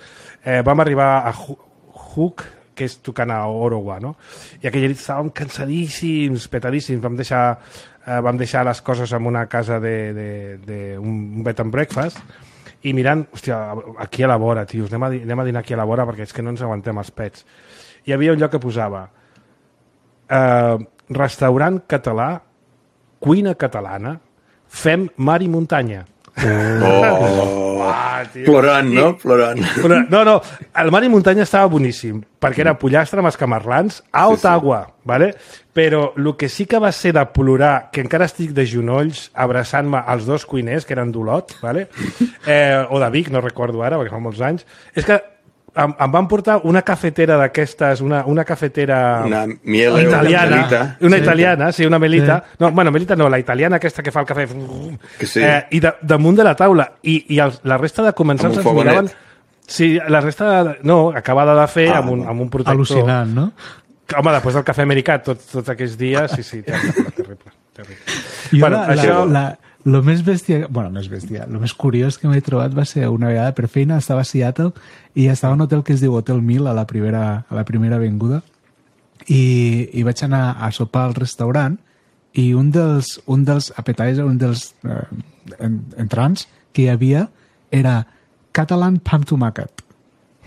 vam arribar a Hook, que és tocant a Ottawa, no? I aquella nit estàvem cansadíssims, petadíssims, vam deixar les coses en una casa d'un bed and breakfast, i mirant, hòstia, aquí a la vora, tios, anem a dinar aquí a la vora perquè és que no ens aguantem els pets. Hi havia un lloc que posava restaurant català, cuina catalana, fem mar i muntanya. Plorant, no? Plorant. No, el mar i muntanya estava boníssim, perquè era pollastre amb escamarlans a Ottawa, vale? Però el que sí que va ser de plorar, que encara estic de genolls abraçant-me als dos cuiners, que eren d'Olot, vale? O de Vic, no recordo ara, perquè fa molts anys, és que em van portar una cafetera d'aquestes, una cafetera italiana, una italiana, sí, una Melita. No, bueno, Melita no, la italiana aquesta que fa el cafè. I damunt de la taula. I la resta de comensals ens miraven... Sí, la resta... No, acabada de fer amb un protector. Al·lucinant, no? Home, després del cafè americà, tots aquests dies, sí, terrible. Jo lo més bèstia, lo més curiós que m'he trobat va ser una vegada per feina, estava a Seattle i estava en un hotel que es diu Hotel 1000 a la primera avinguda i vaig anar a sopar al restaurant i un dels appetizer, un dels entrants que hi havia era Catalan Pam Tomàquet.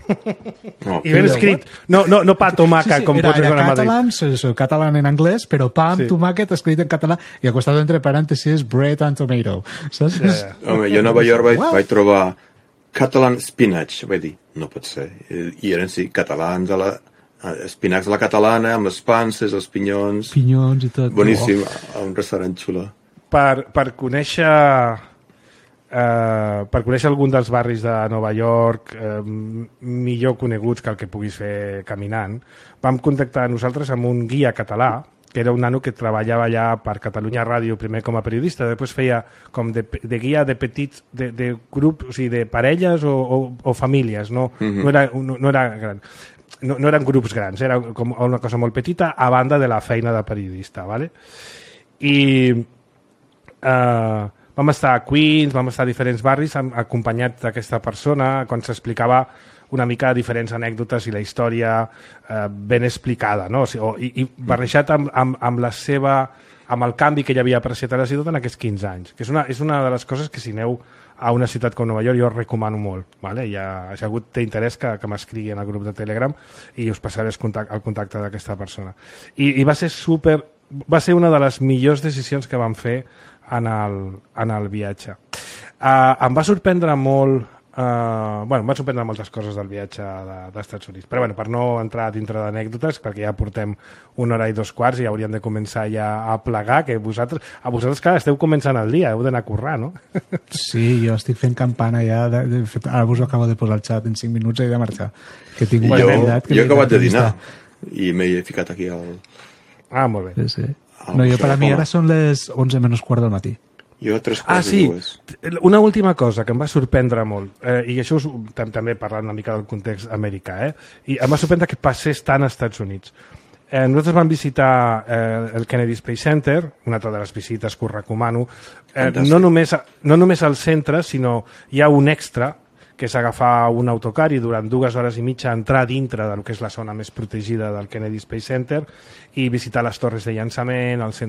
I ben escrit, no pa tomaca, com pots veure a Madrid. Català en anglès, però pam, tomàquet escrit en català i al costat entre parèntesis bread and tomato. Saps? Home, jo a Nova York vaig trobar Catalan spinach, vaig dir, no pot ser. I eren, sí, catalans espinacs a la catalana, amb les panses, els pinyons. Pinyons i tot. Boníssim, a un restaurant xulo. Per conèixer algun dels barris de Nova York millor coneguts que el que puguis fer caminant, vam contactar nosaltres amb un guia català que era un nano que treballava allà per Catalunya Ràdio primer com a periodista, després feia com de guia de petits, de grups, o sigui, de parelles o famílies, no era gran. No eren grups grans, era com una cosa molt petita a banda de la feina de periodista, ¿vale? I vam estar a Queens, vam estar a diferents barris acompanyats d'aquesta persona quan s'explicava una mica diferents anècdotes i la història ben explicada, no? I barrejat amb el canvi que ell havia apreciat a la ciutat en aquests 15 anys, que és una de les coses que si aneu a una ciutat com Nova York jo recomano molt, ¿vale? Si algú té interès que m'escrigui en el grup de Telegram i us passaré el contacte d'aquesta persona. I va ser una de les millors decisions que vam fer en el viatge. Em va sorprendre molt em van sorprendre moltes coses del viatge dels Estats Units, però per no entrar dintre d'anècdotes, perquè ja portem 1 hora i 2 quarts i hauríem de començar ja a plegar, que vosaltres clar, esteu començant el dia, heu d'anar a currar, no? Sí, jo estic fent campana ja, de fet, ara us ho acabo de posar al xat, en 5 minuts he de marxar. Que tinc jo he acabat de dinar i m'he ficat aquí al... Molt bé. Sí. No, per a mi ara són les 11 menys quart del matí. Jo 3/4 sí, una última cosa que em va sorprendre molt, i això també parlant una mica del context americà, i em va sorprendre que passés tant als Estats Units. Nosaltres vam visitar el Kennedy Space Center, una altra de les visites que us recomano, no només al centre, sinó hi ha un extra, que és agafar un autocar i durant 2 hores i mitja entrar dintre del que és la zona més protegida del Kennedy Space Center i visitar les torres de llançament, és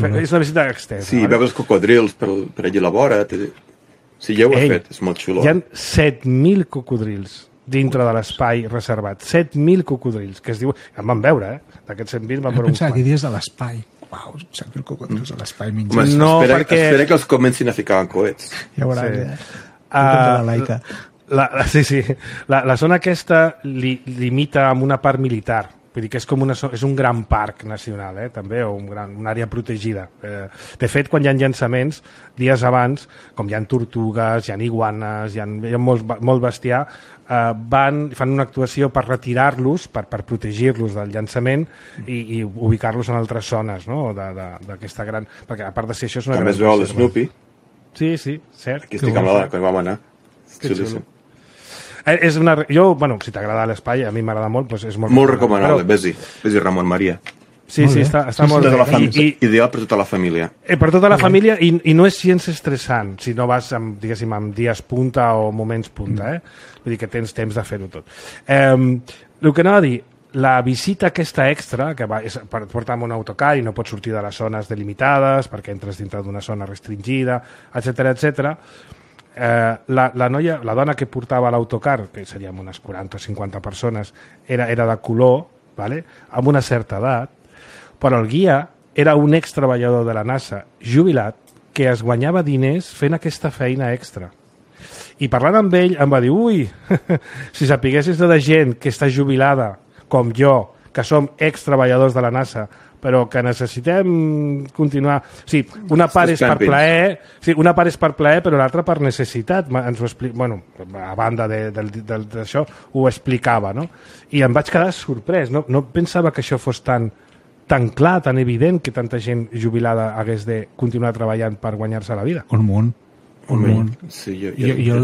una visita extensa. Sí, veus cocodrils per allà a la vora. Sí, ja ho he fet, és molt xulo. Hi ha 7.000 cocodrils dintre de l'espai reservat. 7.000 cocodrils, que es diu... Em van veure, d'aquests 7.000 van veure uns quants. Pensava que dies de l'espai. Uau, Xavier Cocodrilos a l'espai Home, menjant. No, espera que els comencin a ficar en coets. Ja veuràs, Sí. la laica. Sí. La zona aquesta limita amb una part militar. Vull dir que és un gran parc nacional, també, o una àrea protegida. De fet, quan hi ha llançaments, dies abans, com hi ha tortugues, hi ha iguanes, hi ha molt bestiar, fan una actuació per retirar-los, per protegir-los del llançament i ubicar-los en altres zones, no? d'aquesta gran... Perquè a part de ser això és una també es veu l'Snoopy. Sí, cert. Aquí estic amb la quan vam anar. Xulíssim. Jo, si t'agrada l'espai, a mi m'agrada molt, doncs és molt recomanable. Vés-hi, Ramon Maria. Sí, està molt bé. Ideal per tota la família. Per tota la família, i no és gens estressant, si no vas amb dies punta o moments punta. Vull dir que tens temps de fer-ho tot. El que anava a dir, la visita aquesta extra, que porta amb un autocar i no pots sortir de les zones delimitades perquè entres dintre d'una zona restringida, etc. La dona que portava l'autocar, que seríem unes 40 o 50 persones, era de color, vale? Amb una certa edat, però el guia era un ex-treballador de la NASA jubilat que es guanyava diners fent aquesta feina extra. I parlant amb ell em va dir, ui, si sapiguessis de gent que està jubilada, com jo, que som ex-treballadors de la NASA, però que necessitem continuar... Sí, una part és per plaer, però l'altra per necessitat. Ens ho a banda d'això, ho explicava, no? I em vaig quedar sorprès. No pensava que això fos tan clar, tan evident, que tanta gent jubilada hagués de continuar treballant per guanyar-se la vida. Un munt. Sí, jo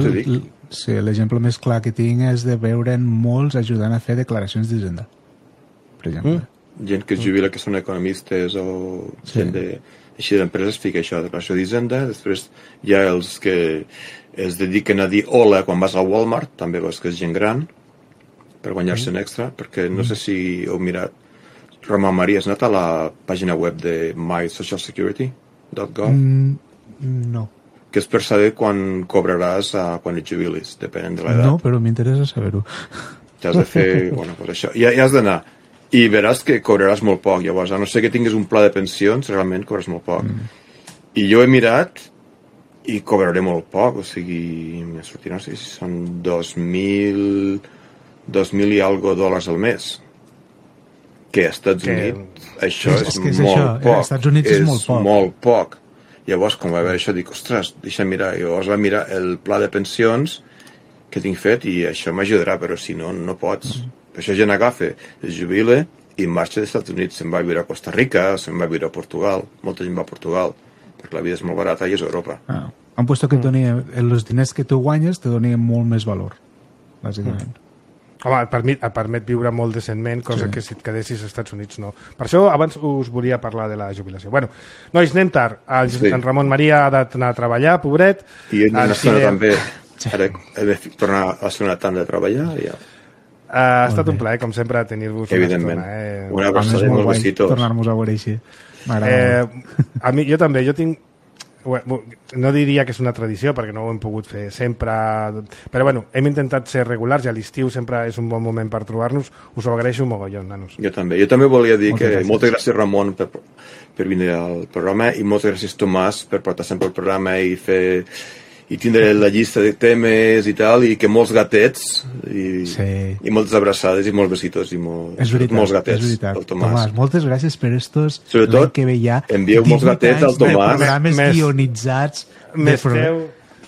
t'ho dic. Sí, l'exemple més clar que tinc és de veure'n molts ajudant a fer declaracions d'Hisenda, per exemple. Gent que es jubila que són economistes o gent així d'empreses fica això, declaració d'Hisenda. Després hi ha els que es dediquen a dir hola quan vas al Walmart, també veus que és gent gran, per guanyar-se un extra, perquè no sé si heu mirat, Ramon Maria, has anat a la pàgina web de mysocialsecurity.gov? No. Que és per saber quan cobraràs quan et jubilis, depenent de l'edat. No, però m'interessa saber-ho. T'has de fer, això. I has d'anar. I veràs que cobraràs molt poc. Llavors, a no ser que tinguis un pla de pensions, realment cobraràs molt poc. I jo he mirat i cobraré molt poc. O sigui, me sortirà, no sé si són 2.000 i algo dòlars al mes. Que a Estats Units això és molt poc. A Estats Units és molt poc. Llavors, quan va veure això, dic, ostres, deixa'm mirar. I llavors va mirar el pla de pensions que tinc fet i això m'ajudarà, però si no, no pots. Per això gent agafa, es jubila i marxa dels Estats Units. Se'n va a viure a Costa Rica, se'n va a viure a Portugal. Molta gent va a Portugal, perquè la vida és molt barata i és a Europa. Han puesto que els diners que tu guanyes te donen molt més valor, bàsicament. Home, et permet viure molt decentment, cosa que si et quedessis als Estats Units no. Per això abans us volia parlar de la jubilació. Bueno, nois, anem tard. En Ramon Maria ha d'anar a treballar, pobret. I ell no estona també. Ara he de tornar a la segona tanda de treballar. Ja. Ha estat un plaer, com sempre, tenir-vos una estona. Una abraçada i molts besitos. Tornar-nos a veure així. A mi, jo també, jo tinc... No diria que és una tradició perquè no ho hem pogut fer sempre, però bueno, hem intentat ser regulars i a l'estiu sempre és un bon moment per trobar-nos. Us ho agraeixo un mogollon, nanos. Jo també volia dir moltes gràcies Ramon per vindre al programa i moltes gràcies Tomàs per portar sempre el programa i tindre la llista de temes i tal, i que molts gatets i moltes abraçades i molts besitos i molts gatets al Tomàs. Moltes gràcies per estos sobretot que veia envieu molts gatets al Tomàs, programes guionitzats.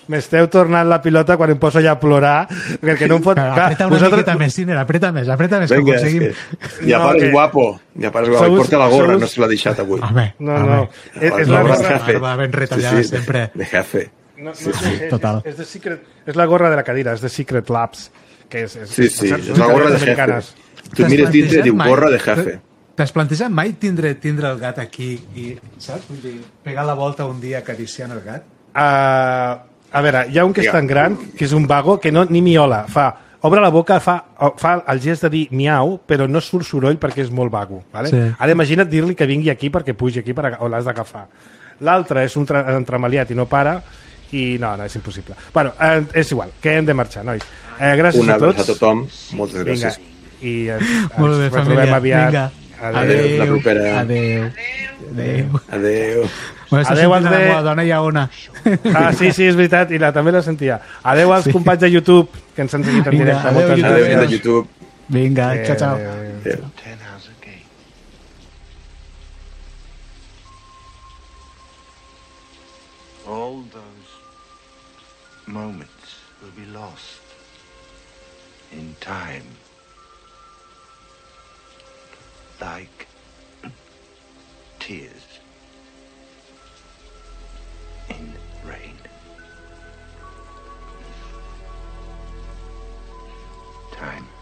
M'esteu tornant la pilota quan em poso ja a plorar, perquè no em pot... Apreta una miqueta més, Ciner, apreta més, que aconseguim... Ja pares guapo, i porta la gorra, no se l'ha deixat avui. No. És la gorra ben retallada sempre. De jefe. Total. És la gorra de la cadira, és de Secret Labs. Sí, és la gorra de jefe. Tu mires dintre i diu gorra de jefe. T'has plantejat mai tindre el gat aquí i, saps? Pegar la volta un dia acariciant el gat? A veure, hi ha un que és tan gran, que és un vago, que ni miola. Obre la boca, fa el gest de dir miau, però no surt soroll perquè és molt vago. Vale? Sí. Ara imagina't dir-li que vingui aquí perquè pugi aquí o l'has d'agafar. L'altre és un entremaliat i no para, i no, és impossible. Bueno, és igual, que hem de marxar, nois. Gràcies a tots. Una abraçada a tothom, moltes gràcies. Vinga, i ens retrobem aviat. Adéu. La propera. Adéu. Adéu. Adéu als de... La dona hi ha una. Sí, és veritat, i també la sentia. Adéu als companys de YouTube, que ens han seguit en directe. Adéu de YouTube. Vinga, ciao. Adéu. All those moments will be lost in time, like tears in rain. Time.